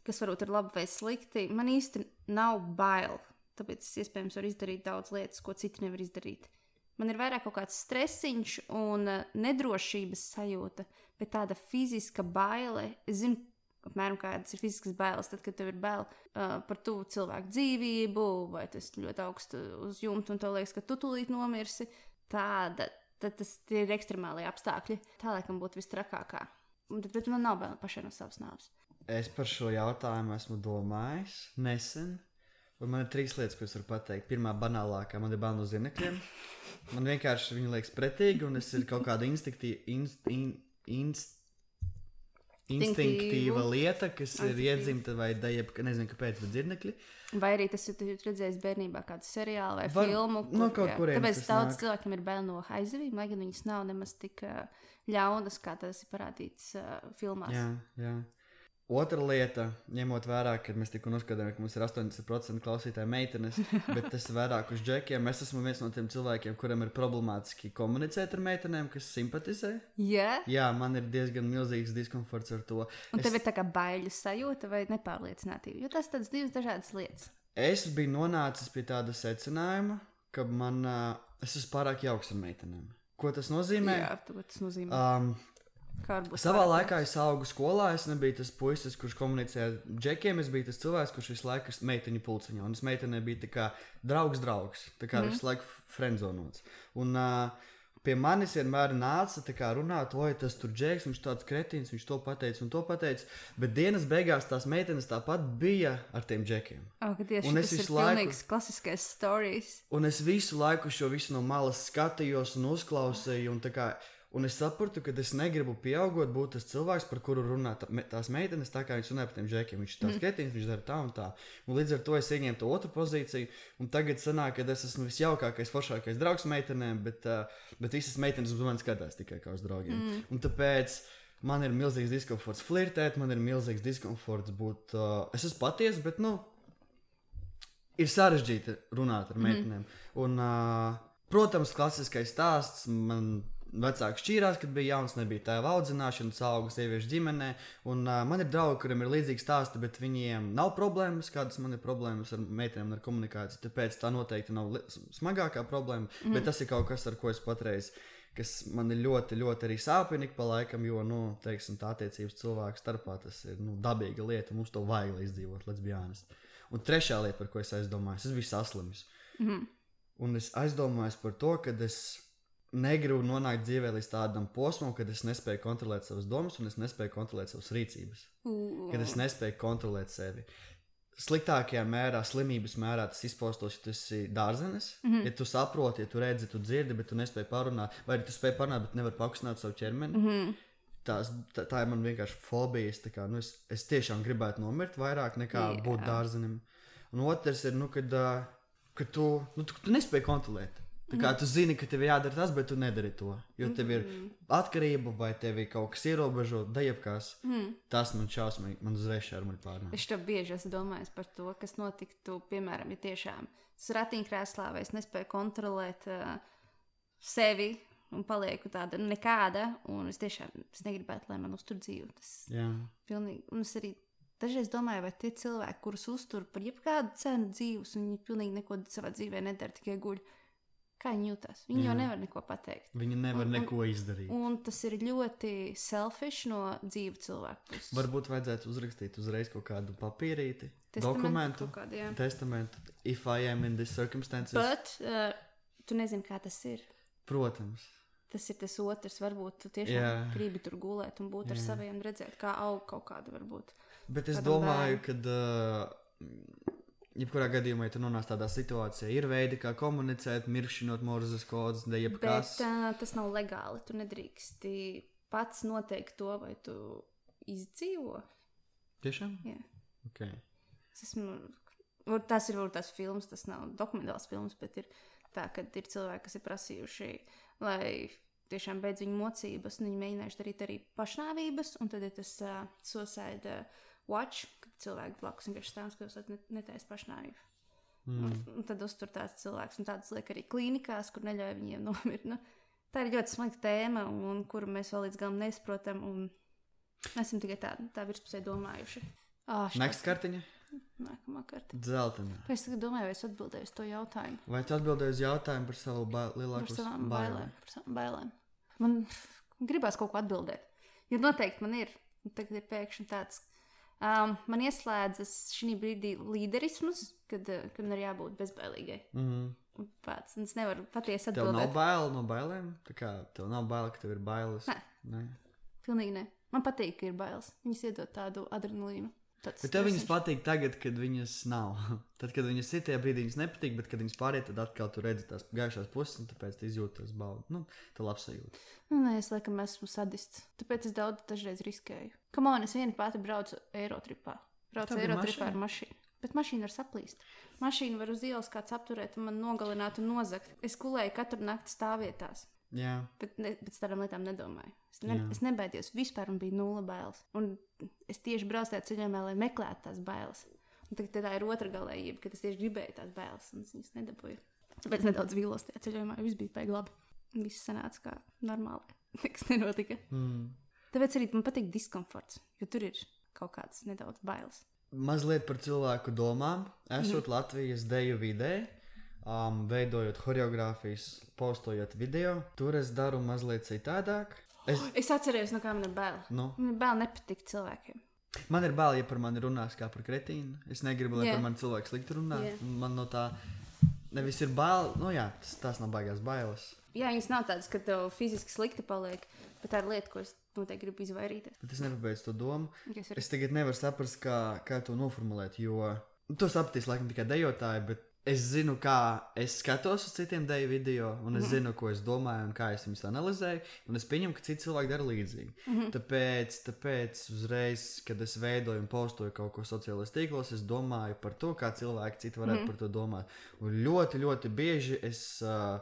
kas varbūt ir labi vai slikti. Man īsti nav bail, tāpēc es iespējams varu izdarīt daudz lietas, ko citi nevar izdarīt. Man ir vairāk kaut kāds stresiņš un uh, nedrošības sajūta, bet tāda fiziska baile. Es zinu, apmēram kādas ir fiziskas bailes, tad, kad tev ir bail uh, par tuvu cilvēku dzīvību, vai tas ļoti augstu uz jumta un tev liekas, ka tu tūlīt nomirsi. Tāda, tad tas ir ekstremālie apstākļi. Tā laikam būtu vistrakākā. Bet man nav bail pašai no savas nāves. Es par šo jautājumu esmu domājis nesen. Un man ir trīs lietas, ko es varu pateikt. Pirmā, banālākā, man ir bail no zinekļiem. Man vienkārši viņi liekas pretīgi, un es ir kaut kāda instinktīva, inst, in, inst, instinktīva lieta, kas ir iedzimta vai dejab, nezinu, kāpēc, bet dzirnekļi. Vai arī tas ir redzējis bērnībā kādu seriālu vai Var, filmu. Kur, no kaut kurienes tāpēc daudz nāk. cilvēkiem ir bail no haizivīm, lai gan viņas nav nemaz tik uh, ļaunas, kā tas ir parādīts uh, filmās. Jā, jā. Otra lieta, ņemot vērā, ka mēs tikko noskatījāmies, ka mums ir astoņdesmit procenti klausītāji meitenes, bet tas ir vairāk uz džekiem. Es esmu viens no tiem cilvēkiem, kuriem ir problemātiski komunicēt ar meitenēm, kas simpatizē. Yeah? Jā, man ir diezgan milzīgs diskomforts ar to. Un es, tev ir tā kā baiļu sajūta vai nepārliecinātība, jo tas tādas divas dažādas lietas. Es biju nonācis pie tāda secinājuma, ka man, uh, es esmu pārāk jauks ar meitenēm. Ko tas nozīmē? Jā, tas nozīmē. Um, Savā laikā es augu skolā, es nebiju tas puisis, kurš komunicēja ar džekiem, es biju tas cilvēks, kurš visu laiku ir meiteņu pulciņā, un es meitenei biju tā kā draugs draugs, tā kā mm. visu laiku friendzonots. Un uh, pie manis vienmēr nāca tā kā runāt, oi, tas tur džeks, viņš tāds kretīns, viņš to pateica un to pateica, bet dienas beigās tās meitenes tāpat bija ar tiem džekiem. Oh, tieši, un es tas visu ir laiku, pilnīgs klasiskais stories. Un es visu laiku šo visu no malas skatījos un uzklausīju, un tā kā Un es sapratu, ka es negribu pieaugot, būt tas cilvēks, par kuru runā tās meitenes, tā kā viņš runā par tiem džekiem. Viņš ir tāds kretīns, viņš dara tā un tā. Un līdz ar to es ieņēmu to otru pozīciju. Un tagad sanāk, ka es esmu visjaukākais, foršākais draugs meitenēm, bet, uh, bet visas meitenes uz mani skatās tikai kā uz draugiem. Mm. Un tāpēc man ir milzīgs diskomforts flirtēt, man ir milzīgs diskomforts būt. Uh, es esmu patiesa, bet nu, ir sarežģīti runāt ar meitenēm. Mm. Un, uh, protams, klasiskais stāsts man. Vecāki šķīrās, kad bija jauns, nebija tēva audzināšana, auga sieviešu ģimenē. Un, uh, man ir draugi, kuriem ir līdzīgi stāsti, bet viņiem nav problēmas, kādas man ir problēmas ar meitenēm, ar komunikāciju. Tāpēc tā noteikti nav smagākā problēma. Mm. Bet tas ir kaut kas, ar ko es patreiz, kas man ir ļoti, ļoti arī sāpīgi pa laikam, jo, nu, teiksim, tā attiecības cilvēku starpā tas ir nu, dabīga lieta. Mums to vajag, lai izdzīvot, let's be honest. Un trešā lieta, par ko es aizdomājos, es biju saslimis. Mm. Un es aizdomājos par to, ka es negribu nonākt dzīvē līdz tādam posmam, kad es nespēju kontrolēt savas domas un es nespēju kontrolēt savas rīcības. Uh. Kad es nespēju kontrolēt sevi. Sliktākajā mērā, slimības mērā tas izpaustos, ja tu esi dārzenis, mm-hmm. ja tu saproti, ja tu redzi, tu dzirdi, bet tu nespēji parunāt, vai arī tu spēj parunāt, bet nevar pakustināt savu ķermeni. Mm-hmm. Tās, tā, tā ir man vienkārši fobija. Kā, nu, es, es tiešām gribētu nomirt vairāk nekā yeah. būt dārzenim. Un otrs ir, nu, kad, uh, kad tu, nu, tu, tu nespēji kontrolēt. Tā kā tu zini, ka tev ir jādara tas, bet tu nedari to. Jo tev ir atkarība vai tev ir kaut kas ierobežo, dejapkās. Mm. Tas man šausmīgi, man uzreiz šarmuļi pārnāk. Es to bieži esmu domājis par to, kas notiktu, piemēram, ja tiešām es ratiņkrēslā vai es nespēju kontrolēt uh, sevi un palieku tāda nekāda, un es tiešām es negribētu, lai man uztur dzīvi. Tas Jā. pilnīgi, un es arī dažreiz domāju, vai tie cilvēki, kurus uztur par jebkādu cenu dzīvus, un viņi pilnīgi neko savā dzīvē nedara, tikai guļ, kā viņi jūtas. Viņi Jā. jau nevar neko pateikt. Viņi nevar Un- un- neko izdarīt. Un tas ir ļoti selfish no dzīvu cilvēku puses. Varbūt vajadzētu uzrakstīt uzreiz kaut kādu papīrīti, Testamentu dokumentu, kaut kādu, jā. testamentu. If I am in these circumstances. Bet uh, tu nezini, kā tas ir. Protams. Tas ir tas otrs. Varbūt tu tiešām Jā. gribi tur gulēt un būt ar Jā. saviem, redzēt, kā aug kaut kāda varbūt. Bet es Kādam domāju, ka, uh, jebkurā gadījumā, ja tu nonāc tādā situācijā, ir veidi, kā komunicēt, mirkšķinot morzes kodus, ne jebkas. Bet uh, tas nav legāli. Tu nedrīksti pats noteikt to, vai tu izdzīvo. Tiešām? Jā. Okay. Es esmu, var- tas ir varbūt tās filmas, tas nav dokumentāls filmas, bet ir tā, ka ir cilvēki, kas ir prasījuši, lai tiešām beidz viņu mocības, un viņi mēģinājuši darīt arī pašnāvības, un tad ir tas uh, suicide uh, watch, kad cilvēki blakus vienkārši stāv un skatās, net, netaisa pašnāvību. Mm. Un, un tad uztur tāds cilvēks, un tāds liek arī klīnikās, kur neļauj viņiem nomirt. Nu, tā ir ļoti smaga tēma, un, un kuru mēs vēl līdz galam nesaprotam, un esam tikai tā, tā virspusē domājuši. Oh, Next kartiņa? Nākamā karta. Dzeltena. Es tagad domāju, vai es atbildēju uz to jautājumu. Vai tu atbildēji uz jautājumu par savu ba Par lielāko savām bailēm. Par savām bailēm. Man gribās kaut ko atbildēt. Jo noteikti man ir. Tagad ir pēkšņi tāds. Um, man ieslēdzas šī brīdī līderisms, kad, uh, kad man ir jābūt bezbailīgai. Mm -hmm. Un pats. Un es nevaru patiesi Tev nav atbildēt. bail no bailēm? Tā kā tev nav bail, ka tev ir bailes? Nē. Nē. Pilnīgi ne. Man patīk, ka ir bailes. Viņas iedod tādu adrenalīnu. Tāds Bet tev viņas stresiņš. patīk tagad, kad viņas nav. Tad, kad viņas ir tajā brīdī, viņas nepatīk, bet kad viņas pāriet, tad atkal tu redzi tās gaišās puses, un tāpēc tu izjūti tās baudas. Nu, tā labsajūta. Nu, nē, es laikam esmu sadists. Tāpēc es daudz dažreiz riskēju. Kamon, es viena pati braucu Eirotripā. Braucu Tev ir Eirotripā mašīna? ar mašīnu. Bet mašīna var saplīst. Mašīna var uz ielas kāds apturēt un man nogalināt un nozagt. Es kulēju katru nakti stāvvietās. Jā. Bet, ne, bet tādām lietām nedomāju. Es, ne, Jā. es nebaidījos vispār un bija nulle bailes. Un es tieši braucu tajā ceļojumā, lai meklētu tās bailes. Un tagad tā ir otra galējība, kad es tieši gribēju tās bailes un es viņas nedabūju. Tāpēc nedaudz vīlos tajā ceļojumā, jo viss bija baigi labi. Viss sanāca kā normāli. Nekas nenotika. Mm. Tāpēc arī man patīk diskomforts, jo tur ir kaut kāds nedaudz bailes. Mazliet par cilvēku domām. Esot mm. Latvijas deju vidē, um, veidojot choreogrāfijas, postojot video, tur es daru mazliet citādāk. Es, Es atceros, no kā man ir bail. nu, Man ir bail nepatikt cilvēkiem. man ir bail, ja par mani runās kā par kretīnu. Es negribu, lai Jā. par mani cilvēks slikti runā. Jā. Man no tā nevis ir bail, nu jā, tas, tās nav baigās bailes. Jā, viņas nav tādas, ka tev fiziski slikti paliek, bet tā ir lieta, ko es noteikti gribu izvairīties. Bet es nepabeidzu to domu. Es arī Es tagad nevaru saprast, kā, kā to noformulēt, jo nu, to sapratīs laikam tikai dejotāji, bet es zinu, kā es skatos uz citiem deju video, un es mm -hmm. zinu, ko es domāju, un kā es viņus analizēju, un es pieņemu, ka citi cilvēki dara līdzīgi. Mm -hmm. Tāpēc, tāpēc uzreiz, kad es veidoju un postoju kaut ko sociālajos tīklos, es domāju par to, kā cilvēki citi varētu mm -hmm. par to domāt. Un ļoti, ļoti bieži es, uh,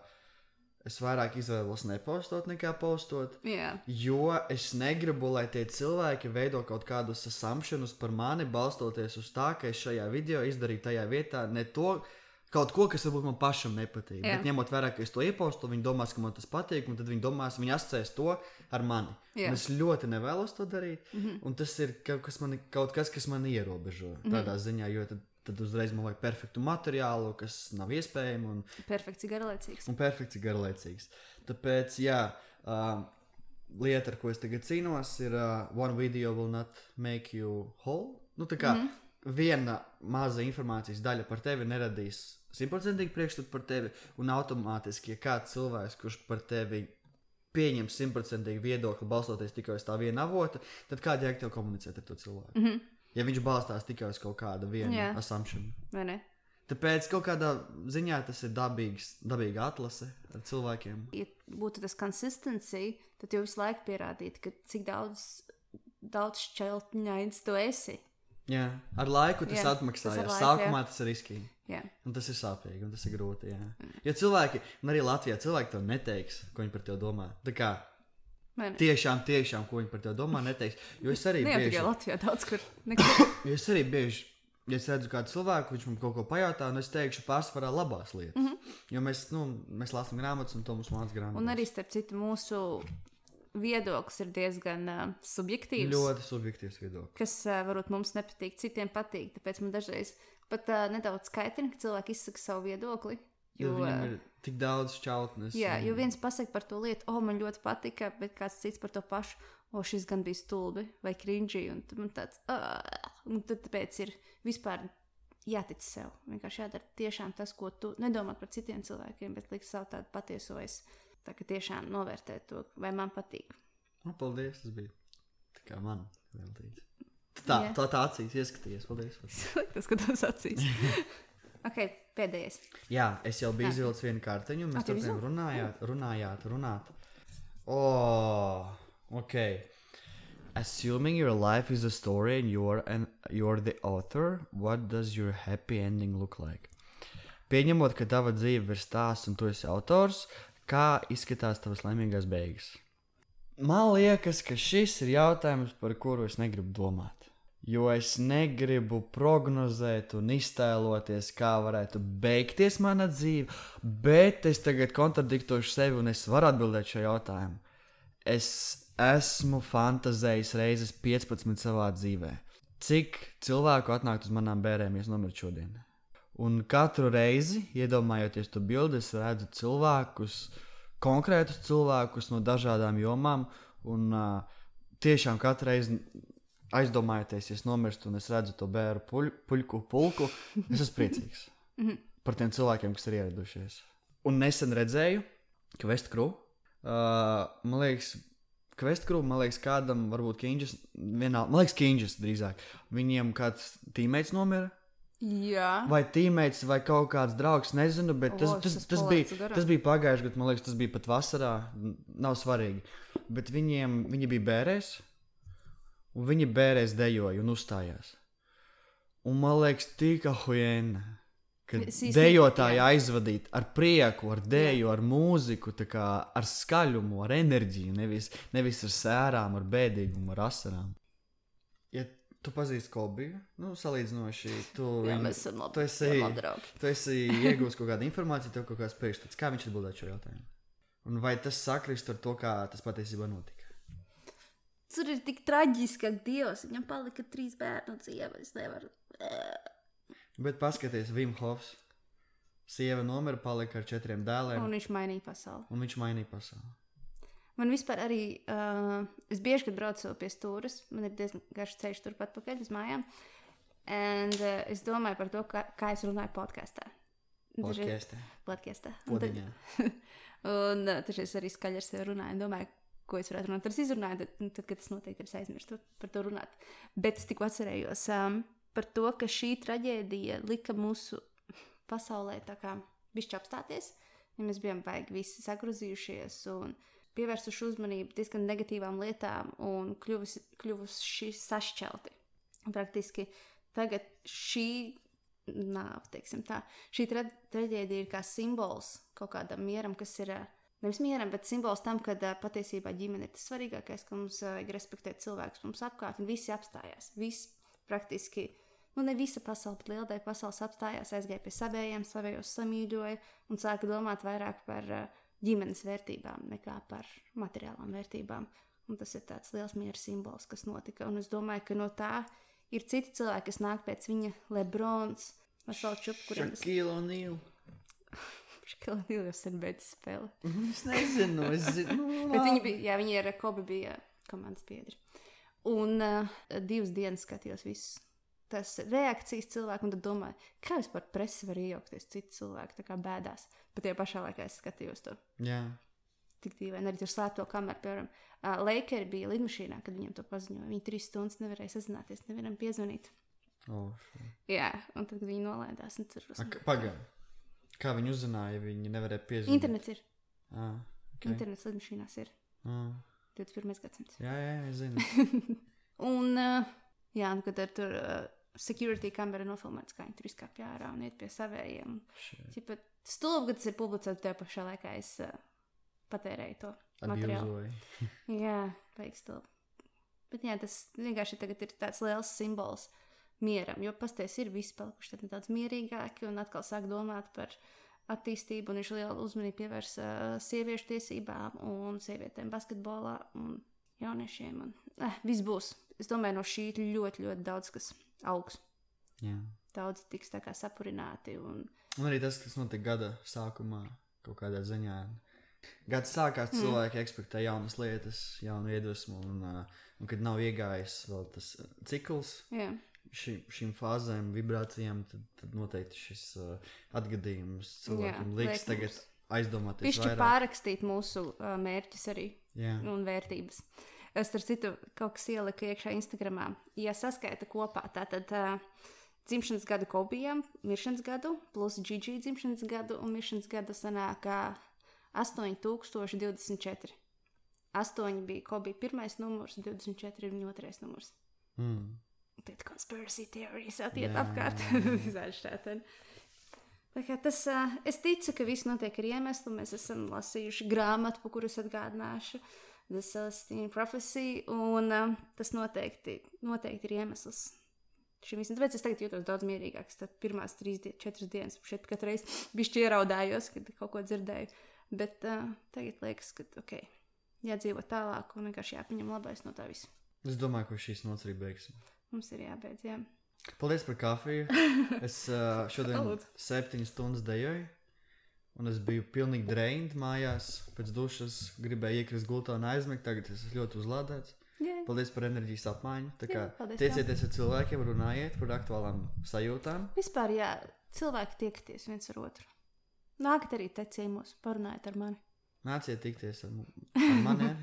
es vairāk izvēlos nepostot nekā postot. Jā, Jo es negribu, lai tie cilvēki veido kaut kādus assumptions par mani, balstoties uz tā, ka es šajā video izdarīju tajā vietā ne to, kaut ko, kas varbūt man pašam nepatīk. Jā. Bet ņemot vērā, ka es to iepostu, viņi domās, ka man tas patīk, un tad viņi domās, viņi asociēs to ar mani. Un es ļoti nevēlos to darīt, mm -hmm. un tas ir kaut kas, mani, kaut kas, kas man ierobežo tādā mm -hmm. ziņā, jo tad, tad uzreiz man vajag perfektu materiālu, kas nav iespējams. Un, perfekts, garlaicīgs. Un perfekts ir garlaicīgs. Tāpēc, jā, uh, lieta, ar ko es tagad cīnos, ir uh, one video will not make you whole. Nu, tā kā mm -hmm. viena maza informācijas daļa par tevi neradīs simtprocentīgi priekšstatu par tevi, un automātiski, ja kāds cilvēks, kurš par tevi pieņem simtprocentīgi viedokli, balstoties tikai uz tā viena avota, tad kāda jēga tev komunicēt ar to cilvēku? Mm -hmm. Ja viņš balstās tikai uz kaut kādu vienu Jā. assumption. Vai ne? Tāpēc kaut kādā ziņā tas ir dabīgs, dabīga atlase ar cilvēkiem. Ja būtu tas consistency, tad jau visu laiku pierādīt, ka cik daudz, daudz šķeltņains tu esi. Jā, ar laiku tas Jā, atmaksājas. tas ar laiku, Sākumā jā. tas ir riskīgi. Jā. Un tas ir sāpīgi, un tas ir grūti. Jā. Jo cilvēki, un arī Latvijā, cilvēki tev neteiks, ko viņi par tevi domā. Tā kā Vai ne? tiešām, tiešām, ko viņi par tevi domā, neteiks. Jo es arī Ne jau bieži, tikai Latvijā, daudz kur. Nekur. jo es arī bieži ja es redzu kādu cilvēku, viņš man kaut ko pajautā, un es teikšu pārsvarā labās lietas. Mm -hmm. Jo mēs, nu, mēs lasām grāmatas, un to mums māca grāmatas. Un arī, starp citu, mūsu viedoklis ir diezgan uh, subjektīvs. Ļoti subjektīvs viedoklis. Kas uh, varbūt mums nepatīk, citiem patīk. Tāpēc man dažreiz pat uh, nedaudz skaitina, ka cilvēki izsaka savu viedokli. Jo, jo viņam ir tik daudz šķautnes. Jā, un... jo viens pasaka par to lietu, o, oh, man ļoti patika, bet kāds cits par to pašu, o, oh, šis gan bija stulbi vai cringy, un man tāds, uh, un tad tāpēc ir vispār jātic sev. Vienkārši jādara tiešām tas, ko tu nedomā par citiem cilvēkiem, bet liks savu tādu patieso es. Tā kā tiešām novērtēt to, vai man patīk. O, paldies, tas bija tā kā man veltīts. Tā, yeah. tā, tā acīs ieskatījies, paldies. Tas, ka tas acīs. Ok, pēdējais. Jā, es jau biju izvilcis vienu kartiņu, un mēs tur tiem runājāt, runājāt, runāt. Oh, ok. Assuming your life is a story and you're, an, you're the author, what does your happy ending look like? Pieņemot, ka tava dzīve ir stāsts un tu esi autors, kā izskatās tavas laimīgās beigas? Man liekas, ka šis ir jautājums, par kuru es negribu domāt. Jo es negribu prognozēt un iztēloties, kā varētu beigties mana dzīve, bet es tagad kontradiktošu sevi un es varu atbildēt šo jautājumu. Es esmu fantazējis reizes piecpadsmit savā dzīvē. Cik cilvēku atnākt uz manām bērēm, ja es nomirt šodien? Un katru reizi, iedomājoties to bildi, es redzu cilvēkus, konkrētus cilvēkus no dažādām jomām, un uh, tiešām katru reizi aizdomājoties, ja es nomirstu un es redzu to bēru puļ, puļku pulku, es esmu priecīgs par tiem cilvēkiem, kas ir ieradušies. Un nesen redzēju, ka Vestkru, uh, man liekas, ka Vestkru, man liekas, kādam, varbūt Kinģis, vienā, man liekas, Kinģis drīzāk, viņiem kāds tīmēts nomira. Jā. Vai tīmēts, vai kaut kāds draugs, nezinu, bet tas, o, tas, tas, tas, bija, tas bija pagājuši gadu, man liekas, tas bija pat vasarā, nav svarīgi. Bet viņiem, viņi bija bērēs, un viņi bērēs dejoja un uzstājās. Un man liekas, tik ahujēna, ka dejotāji aizvadīt ar prieku, ar deju, ar mūziku, tā kā ar skaļumu, ar enerģiju, nevis, nevis ar sērām, ar bēdīgumu, ar asarām. Ja tu pazīsti Kolbiju, nu, salīdzinoši, tu, jā, viņu, mēs esam labi, tu esi, tu esi iegūst kaut kādu informāciju, tev kaut kāds priekšstats. Kā viņš atbildētu šo jautājumu? Un vai tas sakrist ar to, kā tas patiesībā notika? Tur ir tik traģiski, ka Dievs, viņam palika trīs bērnu dzīve, es nevaru. Bet paskaties, Wim Hofs, sieva nomira, palika ar četriem dēliem. Un viņš mainīja pasauli. Un viņš mainīja pasauli. Man vispār arī, uh, es bieži, kad braucu pie stūras, man ir diezgan garš ceļš turpat pakaļ uz mājām, and uh, es domāju par to, kā, kā es runāju podkastā. Podkastā. Podkastā. Podiņā. Un uh, tad es arī skaļi ar sevi runāju un domāju, ko es varētu runāt. Tad es izrunāju, tad, tad kad tas notiek, tad es aizmirstu par to runāt. Bet es tikko atcerējos um, par to, ka šī traģēdija lika mūsu pasaulē tā kā bišķi apstāties, ja mēs bijām baigi visi sagrozījušies un pievērsuši uzmanību diezgan negatīvām lietām un kļuvusi, kļuvuši sašķelti. Praktiski tagad šī nāve, teiksim tā, šī tra traģēdija ir kā simbols kaut kādam mieram, kas ir, nevis mieram, bet simbols tam, kad patiesībā ģimene ir tas svarīgākais, ka mums vajag respektēt cilvēkus mums apkārt, un visi apstājās. Viss praktiski, nu ne visa pasaule, bet liela daļa pasaules apstājās, aizgāja pie savējiem, savējos samīļoja un sāka domāt vairāk par ģimenes vērtībām nekā par materiālām vērtībām. Un tas ir tāds liels miera simbols, kas notika. Un es domāju, ka no tā ir citi cilvēki, kas nāk pēc viņa Lebrons, Vasal Čup, kuriem... Shaquille O'Neal. Shaquille O'Neal jau sen beidz spēli. Es nezinu, es zinu. Bet viņi bija, jā, viņi ar Kobe bija komandas biedri. Un uh, divas dienas skatījos visus. Tas reakcijas cilvēku, un tad domāju, kā vispār presi var iejaukties citu cilvēku, tā kā bēdās. Bet tajā pašā laikā es skatījos to. Jā. Tik dīvaini, arī tur slēpto kameru, piemēram. Uh, Lakeri bija lidmašīnā, kad viņiem to paziņoja. Viņi trīs stundas nevarēja sazināties, nevienam piezvanīt. Oh, šo. Jā, un tad viņi nolaidās. Un tur... Pagaid. Kā viņi uzzināja, ja viņi nevarēja piezvanīt? Internets ir. Ah, okay. Internets lidmašīnās ir. Ah. divdesmit pirmais gadsimts. Jā, jā, es zinu. Un, uh, jā, un kad ar tur... Uh, security kamera nofilmēts, kā viņi tur izkāpj ārā un iet pie savējiem. Čipa, stulbi, kad tas ir publicēts, tajā pašā laikā es uh, patērēju to materiālu. Jā, vajag stulbi. Bet jā, tas vienkārši tagad ir tāds liels simbols mieram, jo pasties ir visi palikuši tad nedaudz mierīgāki un atkal sāk domāt par attīstību, un viņš lielu uzmanību pievērs uh, sieviešu tiesībām un sievietēm basketbolā un jauniešiem. Un, eh, viss būs. Es domāju, no šī ļoti, ļoti daudz kas augs. Jā. Daudz tiks tā kā sapurināti. Un, un arī tas, kas notika gada sākumā, kaut kādā ziņā. Gads sākās, mm. cilvēki ekspektē jaunas lietas, jaunu iedvesmu, un, uh, un kad nav iegājis vēl tas cikls jā. ši, šīm fāzēm, vibrācijām, tad, tad noteikti šis uh, atgadījums cilvēkiem jā, liks tagad mums. Aizdomāties Pišķi vairāk. Pārrakstīt mūsu uh, mērķus arī jā. Un vērtības. Es ar citu kaut kas ieliku iekšā Instagramā. Ja saskaita kopā, tātad uh, dzimšanas gadu Kobijam, miršanas gadu, plus Gigi dzimšanas gadu un miršanas gadu sanāk astoņi tūkstoši divdesmit četri. astoņi bija Kobija pirmais numurs, divdesmit četri ir viņa otrais numurs. Mm. Tad conspiracy theories attiet apkārt. Tā kā tas, uh, es ticu, ka viss notiek ar iemeslu. Mēs esam lasījuši grāmatu, pa kuras atgādināšu. The Celestine Prophecy, un uh, tas noteikti, noteikti ir iemesls šim visam. Tāpēc es tagad jūtos daudz mierīgāks. Tad pirmās trīs, die, četras dienas šeit katru reizi bišķi ieraudājos, kad kaut ko dzirdēju. Bet uh, tagad liekas, ka ok, jādzīvo tālāk un vienkārši jāpaņem labais no tā visa. Es domāju, ka šīs nots arī beigsim. Mums ir jābeidz, jā. Paldies par kafiju. Es uh, šodien septiņas stundas dejoju. Un es biju pilnīgi drained mājās, pēc dušas gribēju iekrist gultā un aizmigt, tagad es esmu ļoti uzlādēts. Jā. Paldies par enerģijas apmaiņu. Tā kā jā, paldies, tiecieties ar cilvēkiem, runājiet par aktuālām sajūtām. Vispār, jā, cilvēki tiekties viens ar otru. Nākat arī te ciemos, parunājiet ar mani. Nāciet tikties ar, ar mani.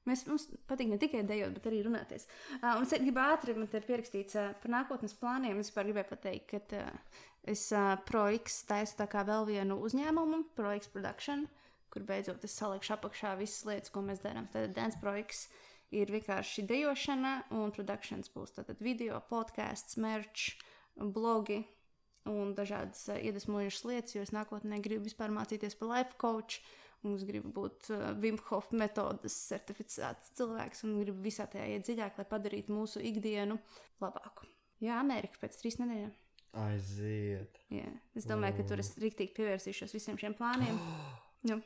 Mēs, mums patīk ne tikai dejot, bet arī runāties. Uh, un es gribu ātri, man te ir pierakstīts uh, par nākotnes plāniem. Es vispār gribēju pateikt, ka uh, es uh, ProX taisu tā kā vēl vienu uzņēmumu, ProX Production, kur beidzot es salikšu apakšā visas lietas, ko mēs darām. Tad Dance ProX ir vienkārši dejošana, un productions būs tātad video, podcasts, merch, blogi un dažādas uh, iedvesmojušas lietas, jo es nākotnē gribu vispār mācīties par life coach. Un es gribu būt uh, Wim Hof metodas certificēts cilvēks un gribu visā tajā iet dziļāk, lai padarītu mūsu ikdienu labāku. Jā, Amerika pēc trīs nedēļām. Aiziet. Jā, es domāju, ka tur es riktīgi pievērsīšos visiem šiem plāniem. Jā.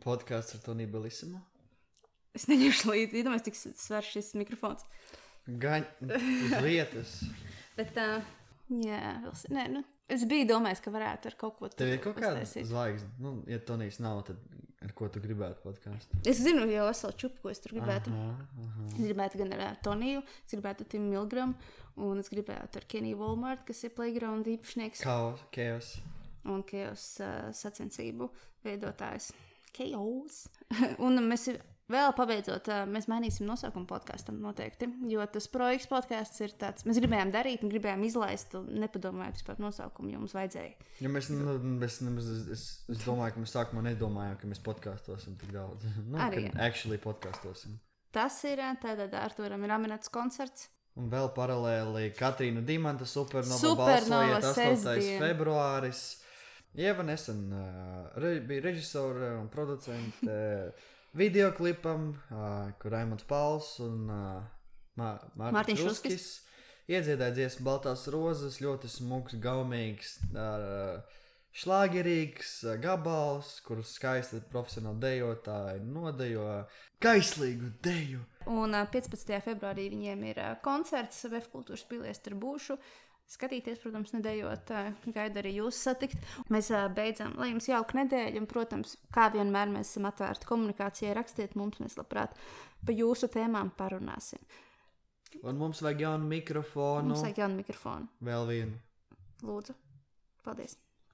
Podkāsts ar Toniju Belisimu? Es neņemšu līdzi, iedomājos, cik svars šis mikrofons. Gaņ, uz vietas. Bet, uh, jā, vēl, nē, nu. Es biju domājis, ka varētu ar kaut ko tādu. Tev ir kaut kāda zvaigzne? Nu, ja Tonijs nav, tad ar ko tu gribētu podkāstu? Es zinu jau veselu čupu, ko es tur gribētu. Aha, aha. Es gribētu gan ar Toniju, es gribētu ar Timu Milgramu, un es gribētu ar Kenny Walmart, kas ir Playground īpašnieks. Chaos, Chaos. Un Chaos uh, sacensību veidotājs. Chaos. Un mēs vēl pabeidzot, uh, mēs mainīsim nosaukumu podkastam noteikti, jo tas projekts podcasts ir tāds, mēs gribējām darīt un gribējām izlaist un nepadomājot vispār nosaukumu, jo mums vajadzēja. Ja mēs, nu, mēs, mēs, es, es domāju, ka mēs sākumā nedomājām, ka mēs podcastosim tik daudz. Nu, arī. Ka actually podcastosim. Tas ir, tātad Arturam ir Aminats koncerts. Un vēl paralēli Katrīna Dimanta Supernova, Supernova balsojiet astotais februāris. Ieva nesen uh, re, bija režisore un producente videoklipam, uh, kur Raimonds Pauls un uh, Mā, Mārtiņš Ruskis iedziedāja dziesmu Baltās rozes, ļoti smuks, gaumīgs, uh, šlāgerīgs uh, gabals, kurus skaisti profesionāli dejotāji nodejo kaislīgu deju. Un uh, piecpadsmitajā februārī viņiem ir uh, koncerts V F Kultūras pilī, tur būšu. Skatīties, protams, nedējot, gaidu arī jūs satikt. Mēs beidzam, lai jums jauka nedēļa, un, protams, kā vienmēr mēs esam atvērti komunikācijai, rakstiet mums, mēs labprāt pa jūsu tēmām parunāsim. Un mums vajag jaunu mikrofonu. Mums vajag jaunu mikrofonu. Vēl vienu. Lūdzu. Paldies.